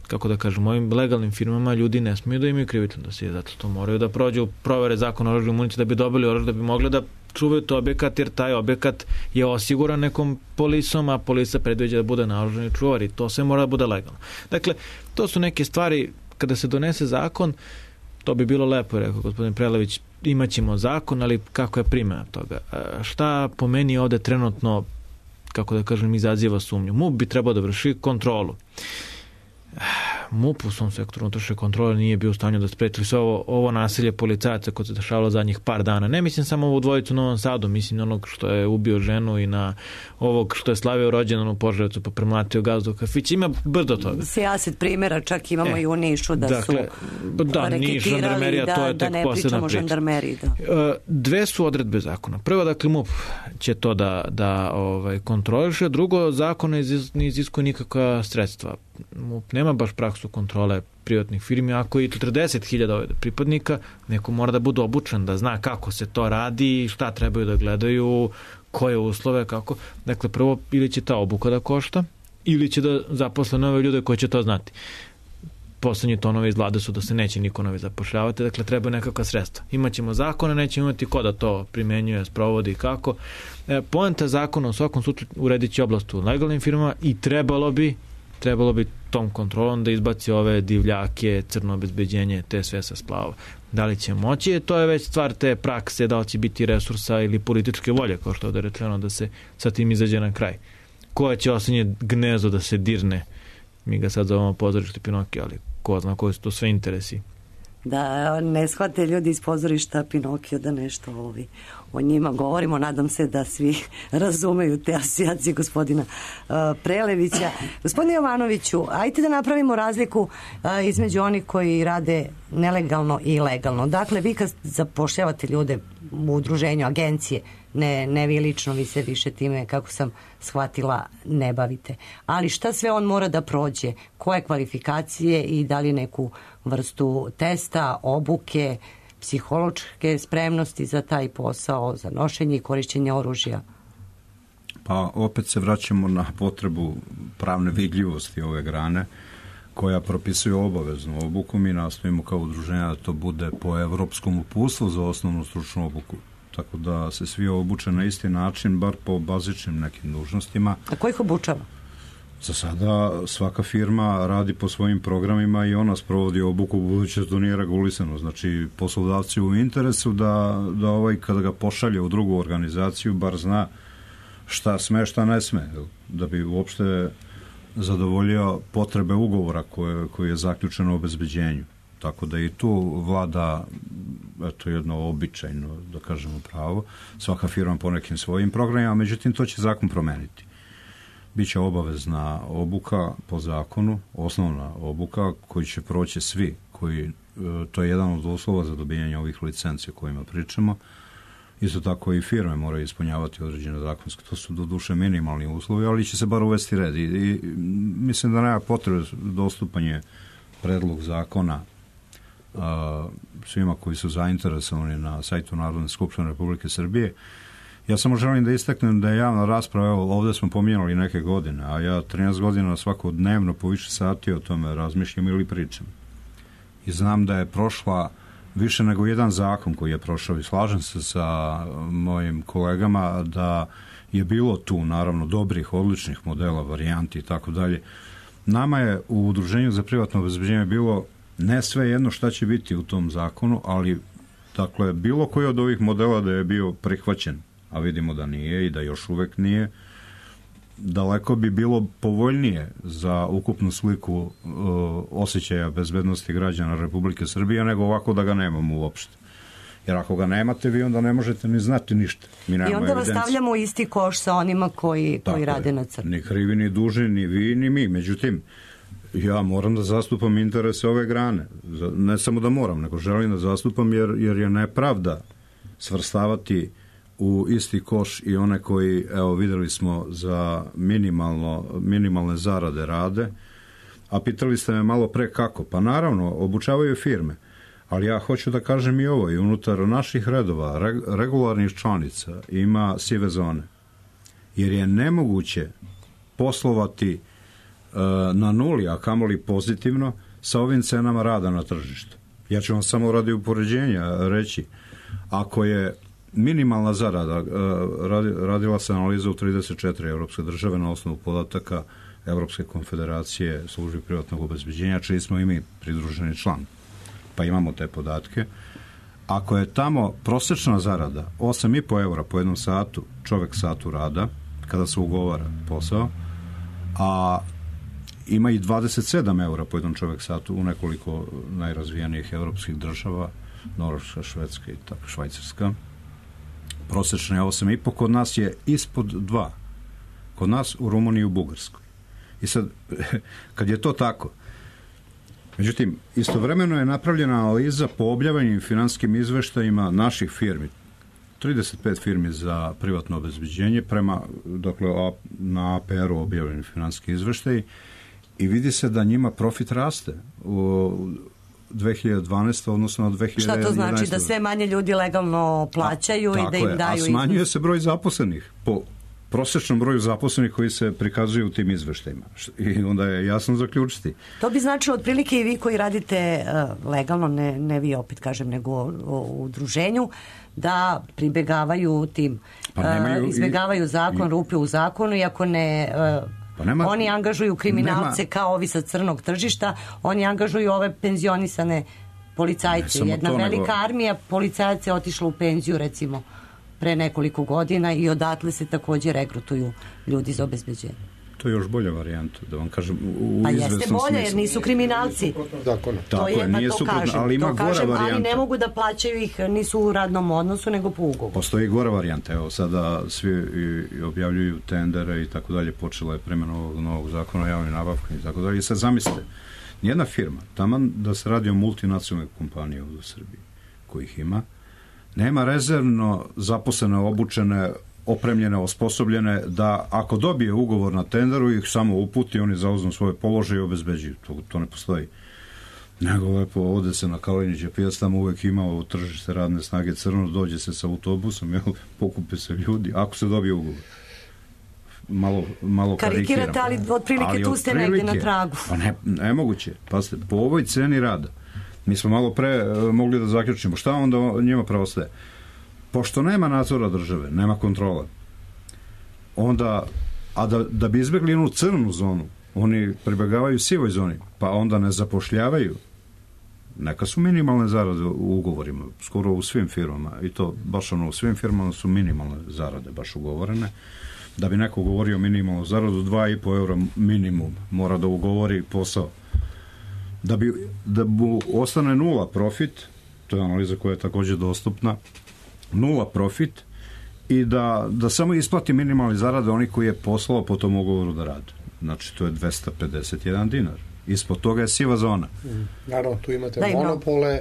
kako da kažem, ovim legalnim firmama ljudi ne smiju da imaju krivično dosije, zato to moraju da prođu provere zakona o oružju i municiji da bi dobili oružje, da bi mogli da čuvaju to objekat, jer taj objekat je osiguran nekom polisom, a polisa predviđa da bude naoružani čuvar i to sve mora da bude legalno. Dakle, to su neke stvari. Kada se donese zakon, to bi bilo lepo, rekao gospodin Prelević, imaćemo zakon, ali kako je primjena toga? Šta po meni ovde trenutno, kako da kažem, izaziva sumnju? MUP bi trebao da vrši kontrolu. MUP u svom sektoru unutrašnje kontrole nije bio u stanju da spreči sve ovo, ovo nasilje policajaca koje se dešavalo zadnjih par dana. Ne mislim samo ovu dvojicu u Novom Sadu, mislim na onog što je ubio ženu i na ovog što je slavio rođendan u Požarevcu pa premlatio gazdu u kafić. Ima brdo toga.
Sijaset primjera, čak imamo e, i u Nišu da dakle, su da, reketirali da, to je da ne pričamo o žandarmeriji. Da.
Dve su odredbe zakona. Prvo, dakle, MUP će to da, da ovaj, kontroliše. Drugo, zakon ne iziskuje nikakva sredstva. MUP nema baš praksu kontrole privatnih firmi. Ako je četrdeset hiljada pripadnika, neko mora da bude obučen, da zna kako se to radi, šta trebaju da gledaju, koje uslove, kako. Dakle, prvo, ili će ta obuka da košta, ili će da zaposle nove ljude koji će to znati. Poslednji tonovi iz vlade su da se neće niko novi zapošljavati, dakle, treba nekakva sredstva. Imaćemo zakone, nećemo imati ko da to primenjuje, sprovodi i kako. E, poenta zakona u svakom slučaju uredit će oblast u legalnim firmama i trebalo bi trebalo bi tom kontrolom da izbaci ove divljake, crno obezbeđenje, te sve sa splava. Da li će moći? To je već stvar te prakse, da li će biti resursa ili političke volje, kao što je ovde rečeno, da se sa tim izađe na kraj. Koja će osadnje gnezdo da se dirne? Mi ga sad zovemo pozorište Pinokio, ali ko zna koji su to sve interesi.
Da ne shvate ljudi iz pozorišta Pinokio da nešto ovi o njima govorimo. Nadam se da svi razumeju te asocijacije gospodina uh, Prelevića. Gospodine Jovanoviću, ajte da napravimo razliku uh, između onih koji rade nelegalno i legalno. Dakle, vi kad zapošljavate ljude u udruženju, agencije, ne, ne vi lično, vi se više time, kako sam shvatila, ne bavite. Ali šta sve on mora da prođe? Koje kvalifikacije i da li neku vrstu testa, obuke, psihološke spremnosti za taj posao, za nošenje i korišćenje oružja?
Pa opet se vraćamo na potrebu pravne vidljivosti ove grane koja propisuje obaveznu obuku. Mi nastojimo kao udruženja da to bude po evropskom uputstvu za osnovnu stručnu obuku. Tako da se svi obuče na isti način, bar po bazičnim nekim dužnostima.
A ko ih obučava?
Za sada svaka firma radi po svojim programima i ona sprovodi obuku, budući da to nije regulisano. Znači, poslodavci u interesu da, da ovaj, kada ga pošalje u drugu organizaciju, bar zna šta sme, šta ne sme, da bi uopšte zadovoljio potrebe ugovora koje, koje je zaključeno o obezbeđenju. Tako da i tu vlada eto, jedno običajno, da kažemo, pravo. Svaka firma po nekim svojim programima, međutim, to će zakon promeniti. Biće obavezna obuka po zakonu, osnovna obuka koju će proći svi, koji, to je jedan od uslova za dobijanje ovih licenci o kojima pričamo, Isto tako i firme moraju ispunjavati određene zakonske. To su do duše minimalni uslovi, ali će se bar uvesti red. I, i mislim da nema potrebe dostupanje predlog zakona a, svima koji su zainteresovani na sajtu Narodne skupštine Republike Srbije. Ja samo želim da istaknem da je javna rasprava, evo, ovdje smo pominjali neke godine, a ja trinaest godina svakodnevno po više sati o tome razmišljam ili pričam. I znam da je prošla više nego jedan zakon koji je prošao i slažem se sa mojim kolegama da je bilo tu naravno dobrih, odličnih modela, varijanti i tako dalje. Nama je u Udruženju za privatno obezbeđenje bilo ne sve jedno šta će biti u tom zakonu, ali dakle bilo koji od ovih modela da je bio prihvaćen, a vidimo da nije i da još uvek nije, daleko bi bilo povoljnije za ukupnu sliku uh, osjećaja bezbednosti građana Republike Srbije nego ovako da ga nemamo uopšte. Jer ako ga nemate, vi onda ne možete ni znati ništa. Mi
I onda vas stavljamo u isti koš sa onima koji, koji rade na crno.
Ni krivi, ni dužni, ni vi, ni mi. Međutim, ja moram da zastupam interese ove grane. Ne samo da moram, nego želim da zastupam jer, jer je nepravda svrstavati u isti koš i one koji, evo, videli smo za minimalno, minimalne zarade rade, a pitali ste me malo pre kako. Pa naravno, obučavaju firme, ali ja hoću da kažem i ovo, i unutar naših redova, regularnih članica ima sive zone, jer je nemoguće poslovati e, na nuli, a kamoli pozitivno, sa ovim cenama rada na tržištu. Ja ću vam samo radi upoređenja reći, ako je minimalna zarada, radila se analiza u trideset četiri evropske države na osnovu podataka Evropske konfederacije službi privatnog obezbeđenja, čiji smo i mi pridruženi član. Pa imamo te podatke. Ako je tamo prosečna zarada osam i po eura po jednom satu, čovek satu rada, kada se ugovara posao, a ima i dvadeset sedam eura po jednom čovek satu u nekoliko najrazvijenijih evropskih država, Norveška, Švedska i tako, Švajcarska. Prosečna je osam i po, kod nas je ispod dva. Kod nas u Rumuniji i u Bugarskoj. I sad, kad je to tako, međutim, istovremeno je napravljena analiza po objavljenim finansijskim izveštajima naših firmi. trideset pet firmi za privatno obezbeđenje prema, dakle, na A P R-u objavljeni finansijski izveštaj i vidi se da njima profit raste u dve hiljade dvanaeste odnosno od dve hiljade jedanaeste.
Šta to znači? Da sve manje ljudi legalno plaćaju a, i da im
je,
daju...
A smanjuje se broj zaposlenih po prosječnom broju zaposlenih koji se prikazuju u tim izveštajima. I onda je jasno zaključiti.
To bi značilo otprilike i vi koji radite uh, legalno, ne, ne vi opet kažem, nego u, u udruženju, da pribegavaju tim, pa uh, izbegavaju zakon, i, rupe u zakonu i ako ne... Uh, Pa nema, oni angažuju kriminalce nema, kao ovi sa crnog tržišta, oni angažuju ove penzionisane policajce. Jedna velika nego... armija policajaca je otišla u penziju recimo pre nekoliko godina i odatle se takođe regrutuju ljudi za obezbeđenje.
To je još bolja varijanta, da vam kažem. U
pa jeste bolja jer nisu kriminalci.
Tako
to je,
je, nije
to
suprotno,
kažem,
ali ima
to
gora
kažem,
varijanta.
Ali ne mogu da plaćaju ih, nisu u radnom odnosu, nego po ugovoru.
Postoji gora varijanta. Evo, sada svi i objavljuju tendere i tako dalje, počela je primjena ovog novog zakona o javnim nabavkama i tako dalje. I sad zamislite, nijedna firma, taman da se radi o multinacionalnoj kompaniji u Srbiji, kojih ima, nema rezervno zaposlene, obučene, opremljene, osposobljene, da ako dobije ugovor na tenderu ih samo uputi, oni zauzmu svoje položaje i obezbeđuju. To, to ne postoji. Nego lepo ovde se na Kalinića pijac, tamo uvek imao tržište radne snage crno, dođe se sa autobusom, jel, pokupe se ljudi, ako se dobije ugovor. Malo, malo
karikirate, ali otprilike ali tu ste negde na tragu.
Pa ne, nemoguće. Pazite, po ovoj ceni rada, mi smo malo pre mogli da zaključimo, šta onda njima preostaje? Pošto nema nadzora države, nema kontrole, onda, a da, da bi izbjegli jednu crnu zonu, oni pribegavaju sivoj zoni, pa onda ne zapošljavaju. Neka su minimalne zarade u ugovorima, skoro u svim firmama, i to baš ono u svim firmama su minimalne zarade baš ugovorene. Da bi neko ugovorio minimalnu zaradu, dva i po eura minimum mora da ugovori posao. Da bi, da mu ostane nula profit, to je analiza koja je također dostupna, nula profit i da, da samo isplati minimalni zarade oni koji je poslao po tom ugovoru da rade. Znači, to je dvesta pedeset jedan dinar. Ispod toga je siva zona.
Mm. Naravno, tu imate da, monopole,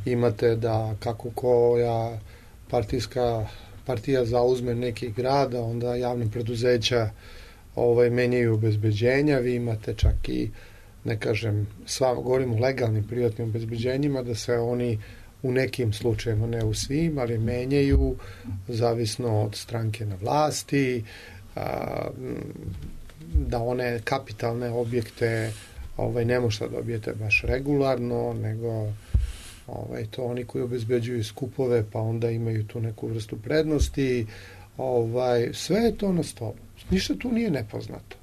imate da kako koja partijska partija zauzme neki grad, a onda javne preduzeća ovaj, menjaju obezbeđenja, vi imate čak i, ne kažem, sva, govorimo o legalnim privatnim obezbeđenjima, da se oni u nekim slučajima, ne u svim, ali menjaju zavisno od stranke na vlasti, a, da one kapitalne objekte ovaj, ne možete da dobijete baš regularno, nego ovaj, to oni koji obezbeđuju skupove, pa onda imaju tu neku vrstu prednosti. Ovaj, sve je to na stolu. Ništa tu nije nepoznato.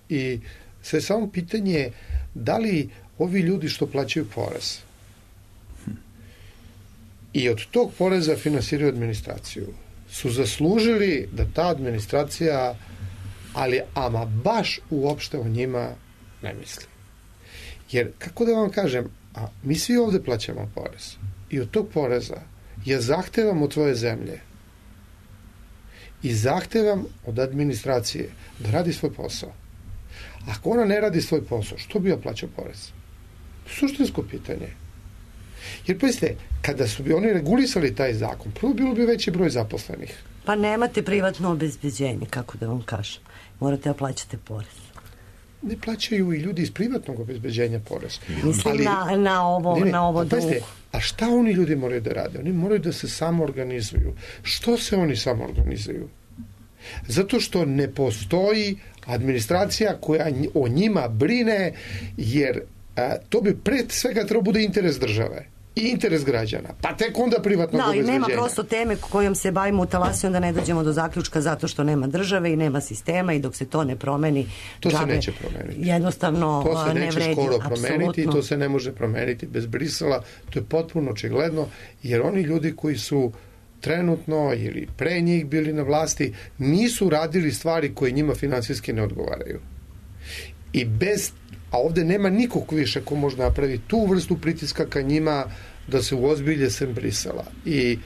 I sve samo pitanje da li ovi ljudi što plaćaju porez i od tog poreza finansiraju administraciju su zaslužili da ta administracija, ali ama baš uopšte o njima ne misli. Jer, kako da vam kažem, a mi svi ovde plaćamo porez i od tog poreza ja zahtevam od tvoje zemlje i zahtevam od administracije da radi svoj posao. Ako ona ne radi svoj posao, što bi ja plaćao porez? Suštinsko pitanje. Jer, pazite, kada su bi oni regulisali taj zakon, prvo bilo bi veći broj zaposlenih.
Pa nemate privatno obezbeđenje, kako da vam kažem. Morate da plaćate porez.
Ne plaćaju i ljudi iz privatnog obezbeđenja porez.
Mislim ali, na, na ovo, ne, ne, na ovo
a, pazite, a šta oni ljudi moraju da rade? Oni moraju da se samo organizuju. Što se oni samo organizuju? Zato što ne postoji administracija koja o njima brine, jer a, to bi pred svega trebao bude interes države i interes građana, pa tek onda privatnog
da,
obezbeđenja.
Da, i nema prosto teme kojom se bavimo u Talasiju, onda ne dođemo do zaključka zato što nema države i nema sistema i dok se to ne promeni,
to
džabe,
se neće promeniti.
Jednostavno
to se
ne
neće
vredi,
skoro promeniti
apsolutno.
I to se ne može promeniti bez Brisela, to je potpuno očigledno, jer oni ljudi koji su trenutno ili pre njih bili na vlasti nisu radili stvari koje njima finansijski ne odgovaraju. I bez, a ovde nema nikog više ko može napraviti tu vrstu pritiska ka njima da se uozbilje sem Brisela. I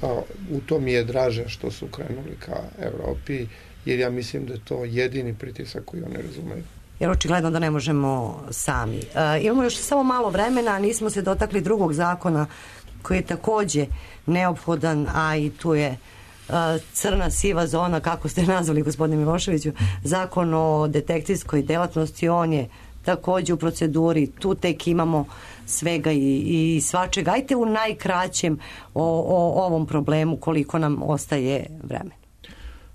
a, u to mi je draže što su krenuli ka Evropi, jer ja mislim da je to jedini pritisak koji oni razumeju.
Jer očigledno da ne možemo sami. E, imamo još samo malo vremena, a nismo se dotakli drugog zakona koji je takođe neophodan, a i tu je a, crna siva zona, kako ste nazvali, gospodine Miloševiću, zakon o detektivskoj delatnosti, on je takođe u proceduri, tu tek imamo svega i, i svačega. Ajte u najkraćem o, o ovom problemu, koliko nam ostaje vremena.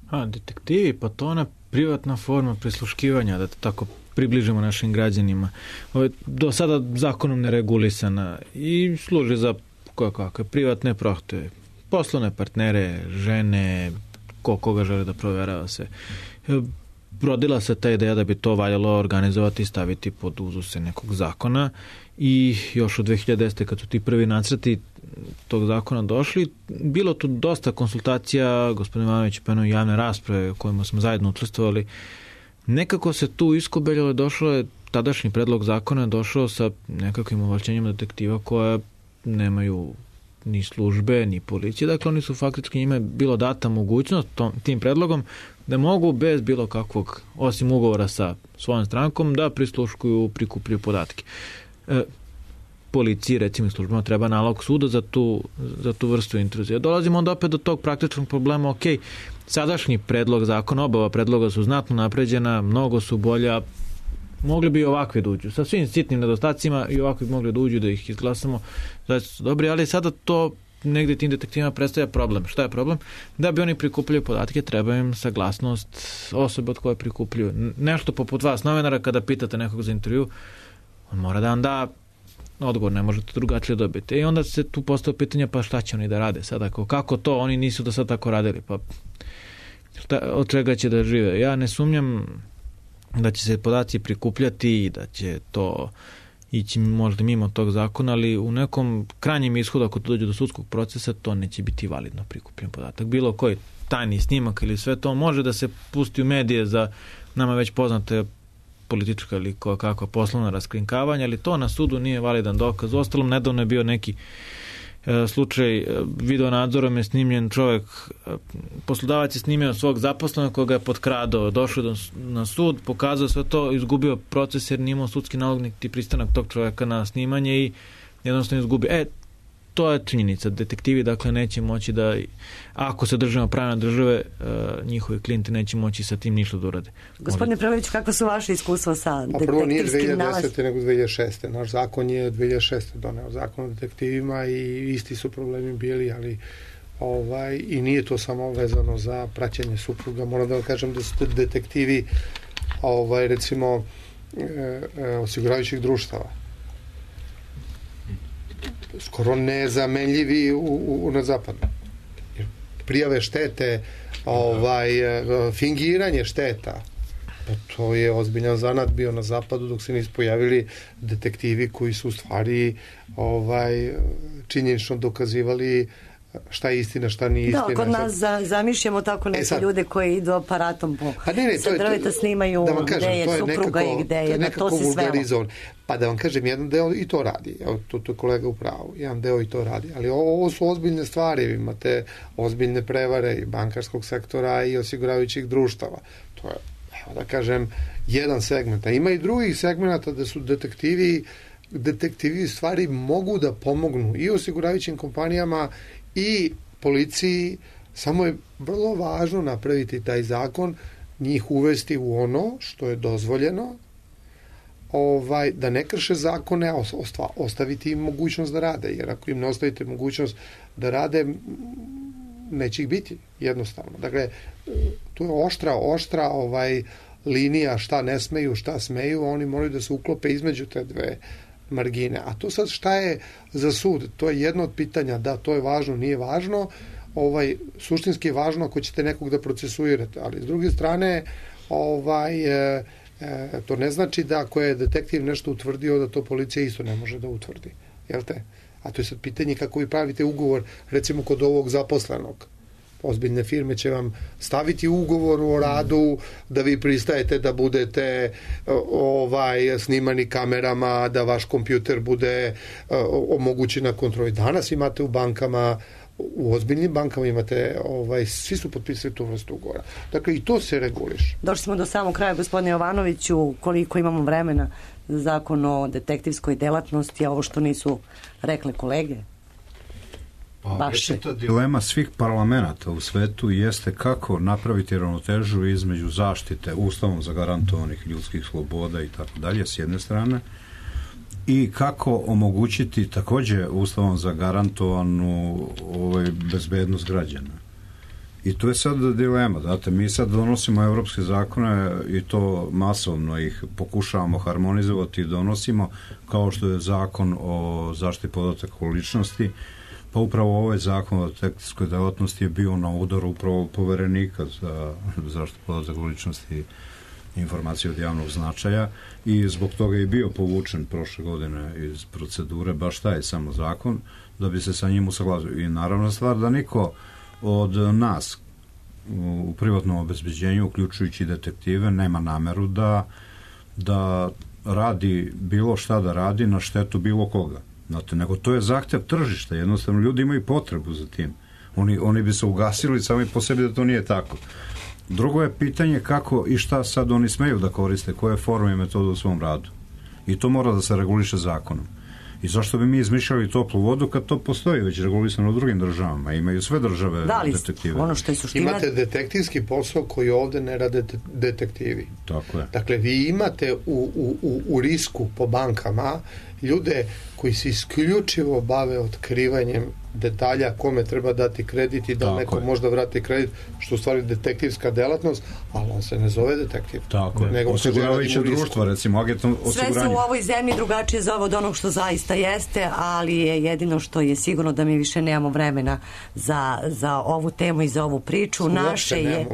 A, detektivi, pa to ona privatna forma prisluškivanja, da tako približimo našim građanima. Ovo je do sada zakonom neregulisana i služi za koje kakve privatne prohteve, poslovne partnere, žene, ko koga žele da proverava se. Rodila se ta ideja da bi to valjalo organizovati i staviti pod uzuse nekog zakona i još od dve hiljade desete kad su ti prvi nacrti tog zakona došli, bilo tu dosta konsultacija, gospodin Ivanović je pomenuo javne rasprave u kojima smo zajedno učestvovali. Nekako se tu iskobeljalo, došlo je tadašnji predlog zakona došao sa nekakvim ovlašćenjima detektiva koja nemaju ni službe, ni policije. Dakle, oni su faktički njima bilo data mogućnost tom, tim predlogom da mogu bez bilo kakvog, osim ugovora sa svojom strankom, da prisluškuju, prikupljaju podatke. E, policiji, recimo službama, treba nalog suda za tu, za tu vrstu intruzije. Dolazimo onda opet do tog praktičnog problema, ok, sadašnji predlog zakona, obava predloga su znatno napređena, mnogo su bolja, mogli bi ovakve da uđu. Sa svim sitnim nedostacima i ovakve bi mogli da uđu, da ih izglasamo. Znači su dobri, ali sada to negde tim detektivima predstavlja problem. Šta je problem? Da bi oni prikupljali podatke, treba im saglasnost osobe od koje prikupljaju. Nešto poput vas, novinara, kada pitate nekog za intervju, on mora da vam da odgovor, ne možete drugačije dobiti. I onda se tu postavlja pitanje, pa šta će oni da rade sada? Kako to? Oni nisu do sad tako radili. Pa šta, od čega će da žive? Ja ne sumnjam da će se podaci prikupljati i da će to ići možda mimo tog zakona, ali u nekom krajnjem ishodu, ako to dođe do sudskog procesa, to neće biti validno prikupljen podatak. Bilo koji tajni snimak ili sve to može da se pusti u medije za nama već poznate politička ili kakva poslovna raskrinkavanja, ali to na sudu nije validan dokaz. Ostalom, nedavno je bio neki e, slučaj, e, video nadzorom je snimljen čovjek, e, poslodavac je snimio svog zaposlenog koga je potkradao, došao do, na sud, pokazao sve to, izgubio proces jer nije imao sudski nalog niti pristanak tog čovjeka na snimanje i jednostavno izgubio. E, to je činjenica. Detektivi dakle neće moći da, ako se držimo pravne države, njihovi klijenti neće moći sa tim ništa da urade.
Gospodine Prelević, kako su vaše iskustva sa detektivskim
nalazom? A prvo nije dve hiljade
nalaz?
desete nego dve hiljade šeste. Naš zakon je dve hiljade šeste doneo zakon o detektivima i isti su problemi bili, ali ovaj, i nije to samo vezano za praćenje supruga. Moram da vam kažem da su detektivi ovaj, recimo e, e, osiguravajućih društava skoro nezamenljivi u, u, na zapadu. Prijave štete, ovaj, fingiranje šteta, pa to je ozbiljan zanat bio na zapadu dok se nisu pojavili detektivi koji su u stvari ovaj, činjenično dokazivali šta je istina, šta nije istina.
Da, kod nas za, zamišljamo tako neke e sad, ljude koji idu aparatom po
a ne, ne,
sa drveta snimaju da kažem, gde je supruga nekako, i gde je, je na to se svelo.
Pa da vam kažem, jedan deo i to radi, evo, to, to je kolega u pravu, jedan deo i to radi, ali ovo, ovo su ozbiljne stvari, imate ozbiljne prevare i bankarskog sektora i osiguravajućih društava. To je, evo da kažem, jedan segment. A ima i drugih segmenta da su detektivi, detektivi stvari mogu da pomognu i osiguravajućim kompanijama i policiji, samo je vrlo važno napraviti taj zakon, njih uvesti u ono što je dozvoljeno, ovaj, da ne krše zakone, a ostaviti im mogućnost da rade, jer ako im ne ostavite mogućnost da rade, neće ih biti, jednostavno. Dakle, tu je oštra, oštra ovaj, linija šta ne smeju, šta smeju, oni moraju da se uklope između te dve margine. A to sad šta je za sud? To je jedno od pitanja, da, to je važno, nije važno, ovaj, suštinski je važno ako ćete nekog da procesuirate, ali s druge strane, ovaj, e, e, to ne znači da ako je detektiv nešto utvrdio, da to policija isto ne može da utvrdi. Jel te? A to je sad pitanje kako vi pravite ugovor, recimo kod ovog zaposlenog. Ozbiljne firme će vam staviti ugovor o radu da vi pristajete da budete ovaj snimani kamerama, da vaš kompjuter bude omogućen na kontroli. Danas imate u bankama, u ozbiljnim bankama imate, ovaj, svi su potpisali tu vrstu ugovora. Dakle, i to se reguliše.
Došli smo do samog kraja, gospodine Jovanoviću, koliko imamo vremena za zakon o detektivskoj delatnosti, a ovo što nisu rekle kolege?
Pa, dilema svih parlamenta u svetu jeste kako napraviti ravnotežu između zaštite ustavom zagarantovanih ljudskih sloboda i tako dalje s jedne strane i kako omogućiti takođe ustavom zagarantovanu ovaj, bezbednost građana. I to je sad dilema. Znate, mi sad donosimo evropske zakone i to masovno ih pokušavamo harmonizovati i donosimo, kao što je zakon o zaštiti podataka o ličnosti. Pa upravo ovaj zakon o detektivskoj delatnosti je bio na udaru upravo poverenika za zaštitu podataka o ličnosti i informacije od javnog značaja i zbog toga je bio povučen prošle godine iz procedure baš taj samo zakon da bi se sa njim usaglasio. I naravno stvar da niko od nas u privatnom obezbeđenju, uključujući detektive, nema nameru da, da radi bilo šta da radi na štetu bilo koga. Znate, nego to je zahtev tržišta, jednostavno ljudi imaju potrebu za tim. Oni, oni bi se ugasili sami po sebi da to nije tako. Drugo je pitanje kako i šta sad oni smeju da koriste, koje forme i metode u svom radu. I to mora da se reguliše zakonom. I zašto bi mi izmišljali toplu vodu kad to postoji već regulisano u drugim državama? Imaju sve države da, detektive.
Ono što je suština...
Imate detektivski posao koji ovde ne rade detektivi.
Tako je.
Dakle, vi imate u, u, u risku po bankama ljude koji se isključivo bave otkrivanjem detalja kome treba dati kredit i da tako neko je. Možda vrati kredit, što u stvari detektivska delatnost, ali on se ne zove detektiv.
Tako je. Osiguravajuće društvo, recimo, agentno osiguranje.
Sve su u ovoj zemlji drugačije zove od onog što zaista jeste, ali je jedino što je sigurno da mi više nemamo vremena za, za ovu temu i za ovu priču. Naše je,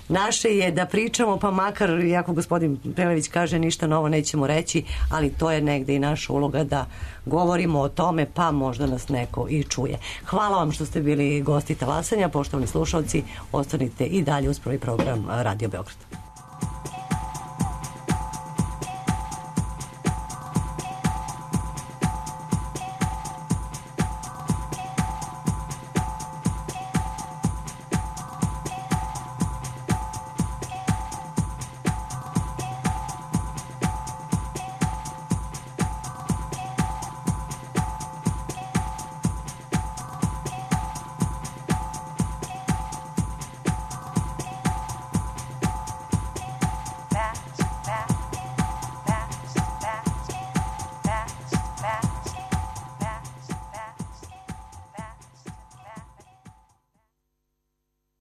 naše je da pričamo, pa makar, jako gospodin Prelević kaže, ništa novo nećemo reći, ali to je negde i naša uloga da govorimo o tome, pa možda nas neko i čuje. Hvala vam što ste bili gosti talasanja, poštovani slušalci, ostanite i dalje uz prvi program Radio Beograd.